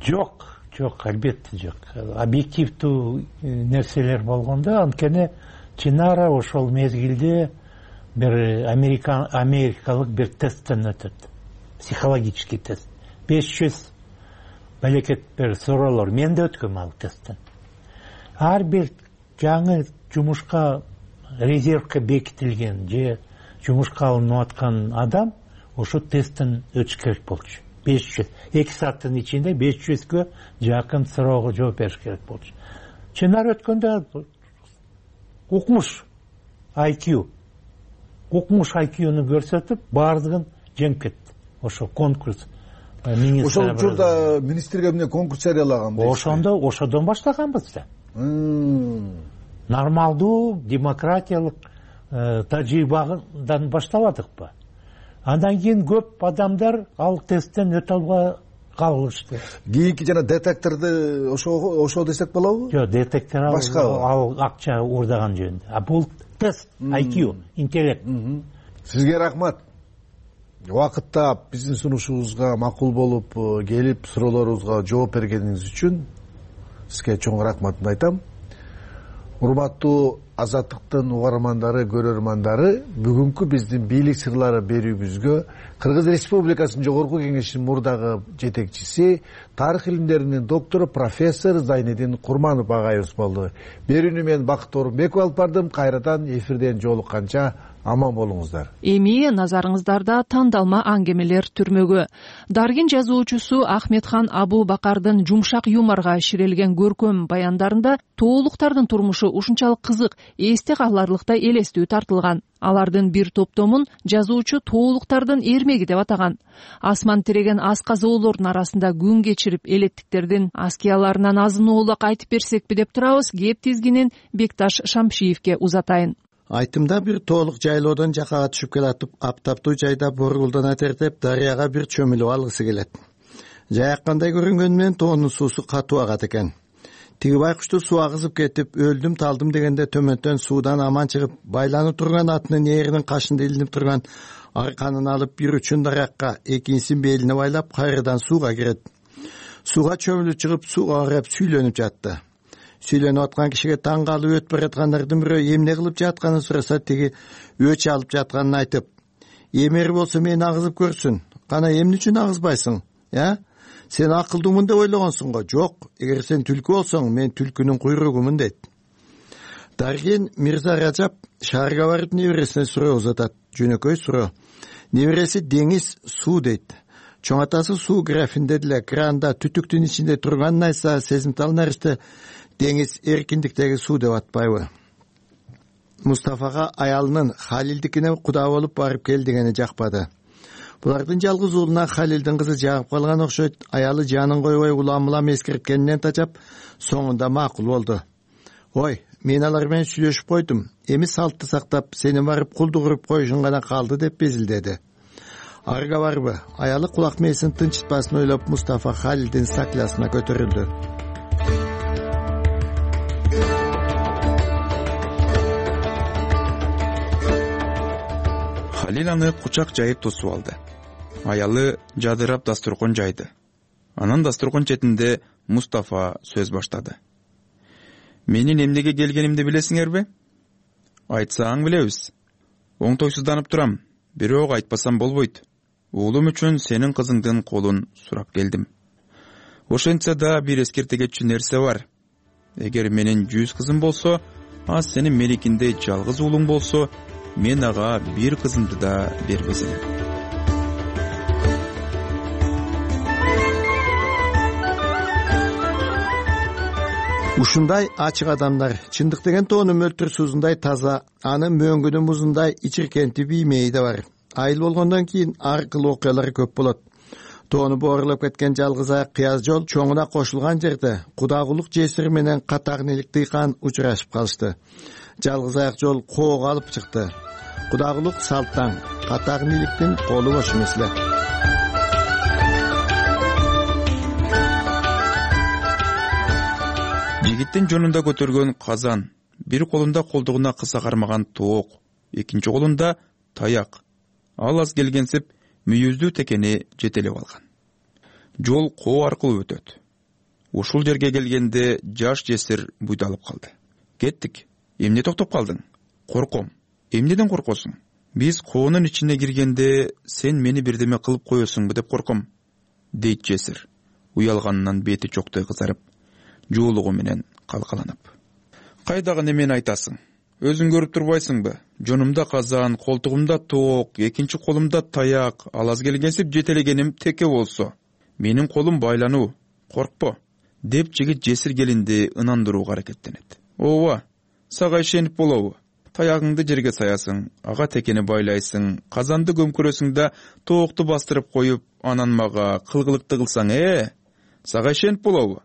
Жок, жок, албетте жок. Объективдүү нерселер болгондо, анткени Чынара ошол мезгилде бир америкалык бир тесттен өтөт. Психологический тест. беш жүз балекет бир суроолор. Мен да өткөм ал тесттен. Ар бир жаңы жумушка резервке бекитилген же жумушка алынып аткан адам ошо тесттен өтүш керек болчу. беш жүз. эки сааттын ичинде беш жүзгө жакын суроого жооп бериш керек болчу. Чынар өткөндө укмуш ай кью укмуш ай кьюну көрсөтүп баардыгын жеңип кетти. Ошо конкурс. Ошол учурда министрге эмне конкурс жарыялаган? Ошондо ошодон баштаганбыз да. Нормалдуу демократиялык тажрыйбадан баштабадыкпы? Андан кийин көп адамдар ал тесттен өтө албай калышты. Кийинки жана детекторду ошо ошо десек болобу? Жок, детектор ал акча уурдаган жөнүндө. А бул тест ай кью, интеллект. Сизге рахмат. Убакытта биздин сунушубузга макул болуп келип, суроолорубузга жооп бергениңиз үчүн сизге чоң рахматымды айтам. Урматтуу Азаттыктын угармандары, көрөрмандары, бүгүнкү биздин бийлик сырлары берүүбүзгө Кыргыз Республикасынын Жогорку Кеңешинин мурдагы жетекчиси, тарых илимдеринин доктору профессор Зайнедин Курманов агайыбыз болду. Берүүнү мен Бакыт Орунбеков алып бардым. Кайрадан эфирден жолукканча аман болуңуздар. Эми назарыңыздарда тандалма аңгемелер түрмөгү. Даргин жазуучусу Ахметхан Абу Бакардын жумшак юморго ширелген көркөм баяндарында тоолуктардын турмушу ушунчалык кызык, эсте каларлыктай элестүү тартылган. Алардын бир топтомун жазуучу тоолуктардын эрмеги деп атаган. Асман тиреген асказоолордун арасында күн кечирип элеттиктердин аскияларынан азын-оолак айтып берсекпи деп турабыз. Кеп тизгинин Бекташ Шамшиевке узатайын. Айтымда бир тоолук жайлоодон жакага түшүп келатып, аптаптуу жайда боргулдана тертеп, дарыяга бир чөмүлүп алгысы келет. Жаяккандай көрүнгөнү менен тоонун суусу катуу агат экен. Тиги байкушту суу агызып кетип, өлдүм талдым дегенде төмөндөн суудан аман чыгып, байланып турган атынын ээринин кашында илинип турган арканын алып, бир учун дарыякка, экинчисин белине байлап, кайрадан сууга кирет. Сууга чөмүлүп чыгып, сууга карап сүйлөнүп жатты. Сүйлөнүп аткан кишиге таң калып өтүп бараткандардын бирөө эмне кылып жатканын сураса, тиги өч алып жатканын айтып, эмери болсо мени агызып көрсүн. Кана эмне үчүн агызбайсың? Я? Сен акылдуумун деп ойлогонсуң го? Жок, эгер сен түлкү болсоң, мен түлкүнүн куйругумун дейт. Даргин Мирза Ражап шаарга барып небересине суроо узатат. Жөнөкөй суроо. Небереси деңиз, суу дейт. Чоң атасы суу графинде деле кранда түтүктүн ичинде турганын айтса, сезимтал наристе деңиз эркиндиктеги суу деп атпайбы? Мустафага аялынын Халилдикине куда болуп барып кел дегени жакпады. Булардын жалгыз уулуна Халилдин кызы жагып калган окшойт. Аялы жанын койбой улам-улам эскерткенинен тажап, соңунда макул болду. Ой, мен алар менен сүйлөшүп койдум. Эми салтты сактап, сени барып кулдук уруп коюшуң гана калды деп безилдеди. Арга барбы? Аялы кулак мээсин тынчытпасын ойлоп Мустафа Халилдин саклясына көтөрүлдү. Халил аны кучак жайып тосуп алды. Аялы жадырап дасторкон жайды. Анан дасторкон четинде Мустафа сөз баштады. Менин эмнеге келгенимди билесиңерби? Айтсаң билебиз. Оңтойсузданып турам, бирок айтпасам болбойт. Уулум үчүн сенин кызыңдын колун сурап келдим. Ошентсе да бир эскерте кетчү нерсе бар. Эгер менин жүз кызым болсо, а сенин меникиндей жалгыз уулуң болсо, мен ага бир кызымды да бербес элем. Ушундай ачык адамдар чындык деген тоону мөлтүр суусундай таза, аны мөңгүнү музундай ичиркенти биймеи да бар. Айыл болгондон кийин ар кыл окуялар көп болот. Тоону боорлоп кеткен жалгыз аяк кыяз жол чоңуна кошулган жерде Кудагулук жесир менен Катагнилик дыйкан учурашып калышты. Жалгыз аяк жол коого алып чыкты. Кудагулук салттан, Катагниликтин колу бош эмес эле. Жигиттин жонунда көтөргөн казан, бир колунда колдугуна кыса кармаган тоок, экинчи колунда таяк. Ал аз келгенсип мүйүздүү текени жетелеп алган. Жол коо аркылуу өтөт. Ушул жерге келгенде жаш жесир буйдалып калды. Кеттик. Эмне токтоп калдың? Корком. Эмнеден коркосуң? Биз коонун ичине киргенде сен мени бирдеме кылып коесуңбу деп корком, дейт жесир. Уялганынан бети чоктой кызарып, жуулугу менен калкаланып. Кайдагы немени айтасың? Өзүң көрүп турбайсыңбы? Жонумда казан, колтугумда тоок, экинчи колумда таяк, ал аз келгенсип жетелегеним теке болсо, менин колум байлануу, коркпо, деп жигит жесир келинди ынандырууга аракеттенет. Ооба, сага ишенип болобу? Таягыңды жерге саясың, ага текени байлайсың, казанды көмкөрөсүң да тоокту бастырып коюп, анан мага кылгылыкты кылсаң, э? Сага ишенип болобу?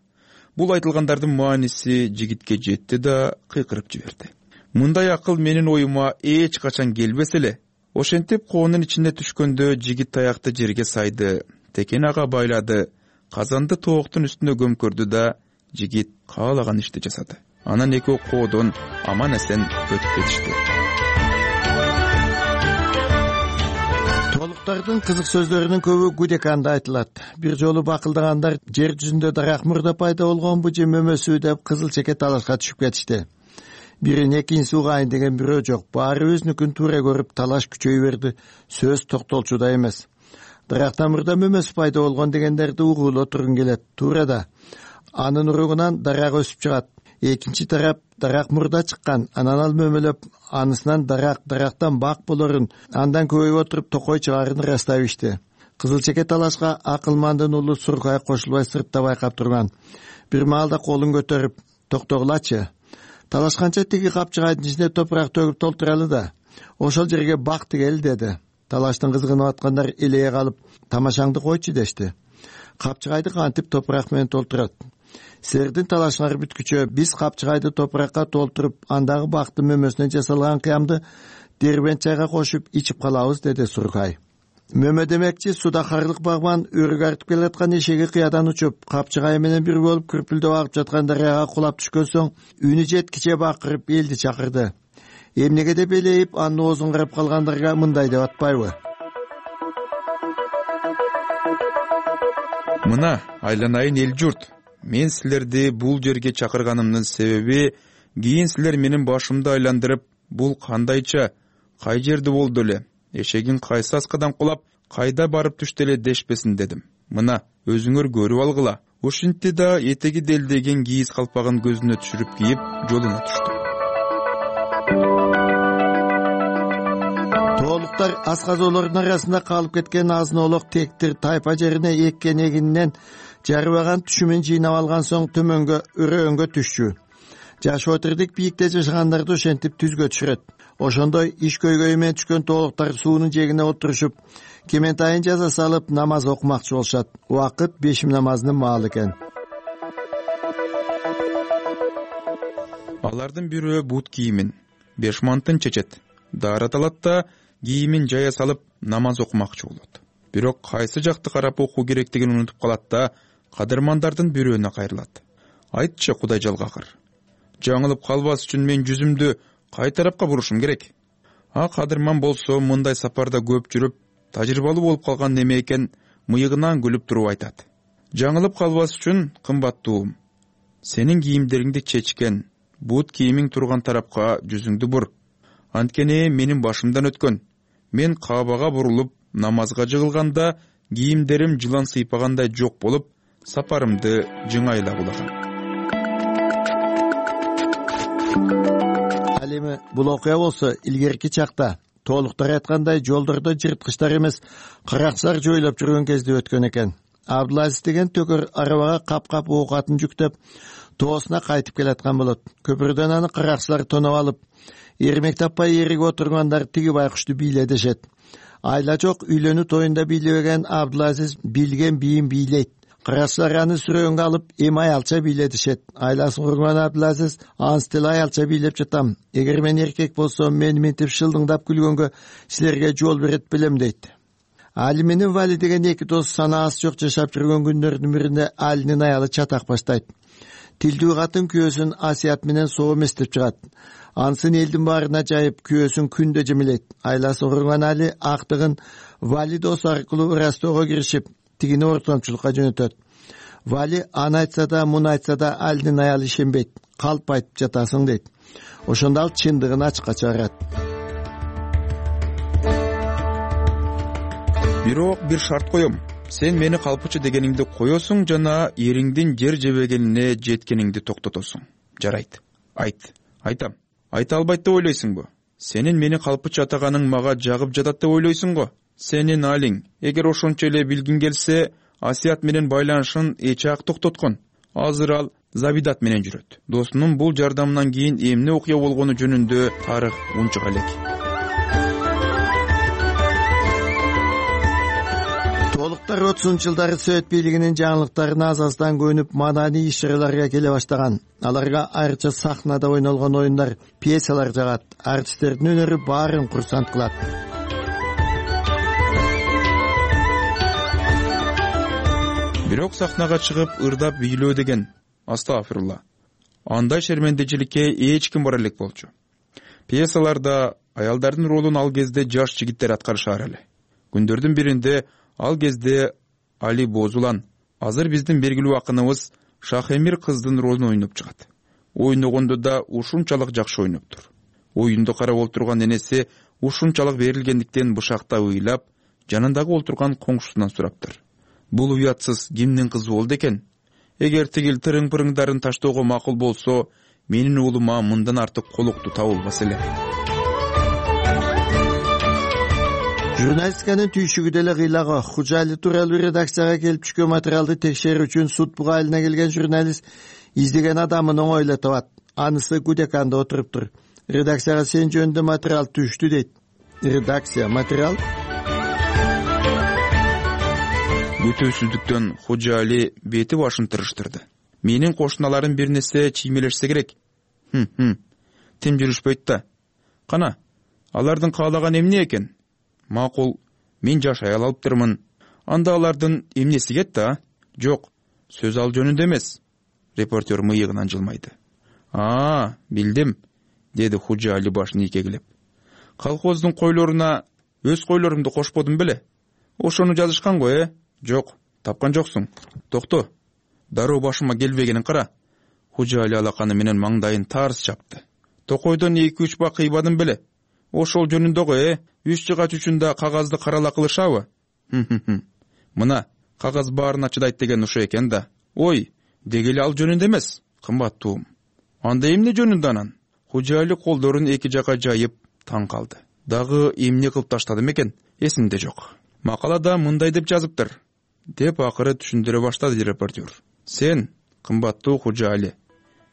Бул айтылгандардын мааниси жигитке жетти да кыйкырып жиберди. Мындай акыл менин оюма эч качан келбес эле. Ошентип коонун ичине түшкөндө жигит таякты жерге сайды, текен ага байлады, казанды тооктун үстүнө көмкөрдү да жигит каалаган ишти жасады. Анан экөө коодон аман эсен өтүп кетишти. Тоолуктардын кызык сөздөрүнүн көбү Гудеканда айтылат. Бир жолу бакылдагандар жер жүзүндө дарак мурда пайда болгонбу же мөмөсү деп кызыл чеке талашка түшүп кетишти. Бирин экинчиси угайын деген бирөө жок. Баары өзүнүкүн туура көрүп талаш күчөй берди. Сөз токтолчу да эмес. Дарактан мурда мөмөсү пайда болгон дегендерди угуулоо тургун келет. Туура да. Анын уругунан дарак өсүп чыгат. Экинчи тарап дарак мурда чыккан, анан ал мөмөлөп, анысынан дарак, дарактан бак болорун, андан көбөйүп отуруп токой чыгаарын ырастап ишти. Кызыл чеке талашка акылмандын уулу Суркай кошулбай сыртта байкап турган. Бир маалда колун көтөрүп, токтогулачы. Талашканча тиги капчыгайдын ичине топурак төгүп толтуралы да. Ошол жерге бак тигели деди. Талаштын кызыгынып аткандар элее калып, тамашаңды койчу дешти. Капчыгайды кантип топурак менен толтурат? Силердин талашыңар бүткүчө биз капчыгайды топуракка толтуруп, андагы бактын мөмөсүнөн жасалган кыямды дербент чайга кошуп ичип калабыз, деди Суркай. Мөмө демекчи суда карлык багбан өрүк артып келаткан эшеги кыядан учуп, капчыгай менен бир болуп күрпүлдөп агып жаткан дарыяга кулап түшкөн соң, үнү жеткиче бакырып элди чакырды. Эмнеге деп элейип, анын оозун карап калгандарга мындай деп атпайбы? Мына, айланайын эл журт. Мен силерди бул жерге чакырганымдын себеби, кийин силер менин башымды айландырып, бул кандайча, кай жерде болду эле, эшегин кайсы аскадан кулап, кайда барып түштү эле дешпесин дедим. Мына, өзүңөр көрүп алгыла. Ушинтти да этеги делдеген кийиз калпагын көзүнө түшүрүп кийип, жолуна түштү. Тоолуктар асказоолордун арасында калып кеткен азын-оолок тектир тайпа жерине эккен эгининен жарыбаган түшүмүн жыйнап алган соң төмөнгө өрөөнгө түшчү. Жаш отурдук бийикте жашагандарды ошентип түзгө түшүрөт. Ошондой иш көйгөйү менен түшкөн тоолуктар суунун жээгине отурушуп, кементайын жаза салып намаз окумакчы болушат. Убакыт бешим намазынын маалы экен. алардын бирөө бут кийимин беш мантын чечет, даарат алат да кийимин жая салып намаз окумакчы болот. Бирок кайсы жакты карап окуу керектигин унутуп калат да кадырмандардын бирөөнө кайрылат. Айтчы Кудай жалгакыр, жаңылып калбас үчүн мен жүзүмдү кай тарапка бурушум керек? А кадырман болсо мындай сапарда көп жүрүп, тажрыйбалуу болуп калган неме экен, мыйыгынан күлүп туруп айтат. Жаңылып калбас үчүн кымбаттуум, сенин кийимдериңди чечкен, бут кийимиң турган тарапка жүзүңдү бур. Анткени менин башымдан өткөн. Мен Каабага бурулуп намазга жыгылганда кийимдерим жылан сыйпагандай жок болуп, сапарымды жыңайлап улагам. Ал эми бул окуя болсо илгерки чакта толуктар айткандай жолдордо жырткычтар эмес, каракчылар жойлоп жүргөн кезде өткөн экен. Абдулазиз деген төкөр арабага кап-кап оокатын жүктөп тоосуна кайтып келаткан болот. Көпүрдөн аны каракчылар тоноп алып, эрмек таппай эриге отургандар тиги байкушту бийле дешет. Айла жок үйлөнүү тоюнда бийлебеген Абдулазиз билген бийин бийлейт. Каракчылар аны сүрөөнгө алып, эми аялча бийле дешет. Айласын курган Абдулазиз, ансыз аялча бийлеп жатам. Эгер мен эркек болсом, мени мынтип шылдыңдап күлгөнгө силерге жол берет белем дейт. Али менен Вали деген эки дос санаасы жок жашап жүргөн күндөрдүн биринде Алинин аялы чатак баштайт. Тилдүү катын күйөөсүн Асият менен соо эместеп чыгат. Ансын элдин баарына жайып, күйөөсүн күндө жемилейт. Айласы курган Али актыгын Вали дос аркылуу ырастоого киришип, тигини ортомчулукка жөнөтөт. Вали аны айтса да, муну айтса да Алинин аялы ишенбейт. Калп айтып жатасың дейт. Ошондо ал чындыгын ачыкка чыгарат. Бирок бир шарт коем. Сен мени калпычы дегениңди коесуң жана эриңдин жер жебегенине жеткениңди токтотосуң. Жарайт. Айт. Айтам. Айта албайт деп ойлойсуңбу? Сенин мени калпычы атаганың мага жагып жатат деп ойлойсуң го? Сенин алиң, эгер ошончо эле билгиң келсе, Асият менен байланышын эч ак токтоткон. Азыр ал Забидат менен жүрөт. Досунун бул жардамынан кийин эмне окуя болгону жөнүндө тарых унчук элек. Толуктар отузунчу жылдары Совет бийлигинин жаңылыктарына аз-аздан көнүп, маданий иш-чараларга келе баштаган. Аларга айрыча сахнада ойнолгон оюндар, пьесалар жагат. Артисттердин өнөрү баарын курсант кылат. Бирок сахнага чыгып ырдап бийлөө деген, астагфирулла, андай шермендечиликке эч ким бара элек болчу. Пьесаларда аялдардын ролун ал кезде жаш жигиттер аткарышар эле. Күндөрдүн биринде ал кезде Али Бозулан, азыр биздин белгилүү акыныбыз Шахемир кыздын ролун ойноп чыгат. Ойногондо да ушунчалык жакшы ойноптур. Оюнду карап олтурган энеси ушунчалык берилгендиктен бышакта ыйлап, жанындагы олтурган коңшусунан сураптыр. Бул уятсыз кимдин кызы болду экен? Эгер тигил тырың-пырыңдарын таштоого макул болсо, менин уулума мындан артык колукту табылбас эле. Журналистиканын түйшүгү деле кыйлагы. Хужали тууралуу редакцияга келип түшкөн материалды текшерүү үчүн суд бугайлына келген журналист издеген адамын оңойло табат. Анысы Гудеканда отуруптур. Редакцияга сен жөнүндө материал түштү дейт. Редакция материал Бүтөсүздүктөн Хужали бети башын тырыштырды. Менин кошуналарым бир нерсе чиймелешсе керек. Хм-хм. Тим жүрүшпөйт да. Кана, алардын каалаган эмне экен? Макул, мен жаш аял алыптырмын. Анда алардын эмнеси кетти, а? Жок, сөз ал жөнүндө эмес. Репортер мыйыгынан жылмайды. А, билдим, деди Хужали башын ийкегилеп. Колхоздун койлоруна өз койлорумду кошподум беле? Ошону жазышкан го, э? Жок, тапкан жоксуң. Токто, дароо башыма келбегенин кара. Хужали алаканы менен маңдайын тарс чапты. Токойдон эки үч бак кыйбадым беле? Ошол жөнүндө го, э? Үч жыгач үчүн да кагазды карала кылышабы? Мына, кагаз баарына чыдайт деген ошо экен да. Ой, дегеле ал жөнүндө эмес, кымбаттуум. Анда эмне жөнүндө анан? Хужали колдорун эки жака жайып таң калды. Дагы эмне кылып таштадым экен? Эсимде жок. Макалада мындай деп жазыптыр, деп акыры түшүндүрө баштады репортер. Сен, кымбаттуу Хужали,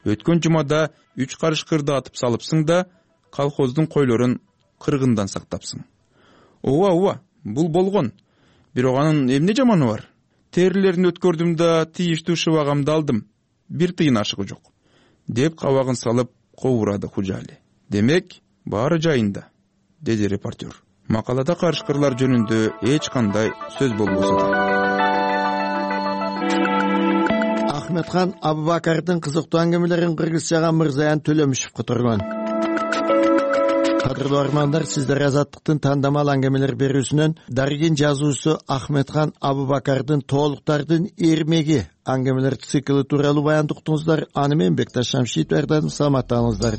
өткөн жумада үч карыш кырды атып салыпсың да, колхоздун койлорун кыргындан сактапсың. Ооба, ооба, бул болгон. Бирок анын эмне жаманы бар? Терилерин өткөрдүм да тийиштүү шыбагамды алдым. Бир тыйын ашыгы жок. Деп кабагын салып кобурады Хужали. Демек, баары жайында, деди репортер. Макалада карышкырлар жөнүндө эч кандай сөз болбосо да. Ахметхан Абубакардын кызыктуу аңгемелерин кыргызчага Мырзаян Төлөмүшев которгон. Кадырлуу армандар, сиздер Азаттыктын тандамал аңгемелер берүүсүнөн Дарыгин жазуучусу Ахметхан Абубакардын Тоолуктардын эрмеги аңгемелер циклы тууралуу баянды уктуңуздар. Аны мен Бекташ Шамшитов даярдадым. Саламаттаңыздар.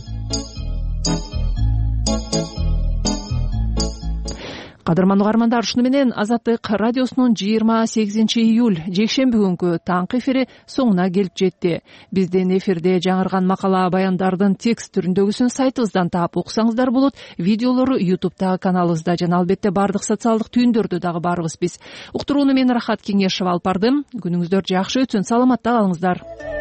Кадырман угармандар, ушуну менен Азаттык радиосунун жыйырма сегизинчи июль жекшемби күнгү таңкы эфири соңуна келип жетти. Биздин эфирде жаңырган макала баяндардын текст түрүндөгүсүн сайтыбыздан таап уксаңыздар болот. Видеолору ютубтагы каналыбызда жана албетте бардык социалдык түйүндөрдө дагы барбыз биз. Уктурууну мен Рахат Кеңешева алып бардым. Күнүңүздөр жакшы өтсүн, саламатта калыңыздар.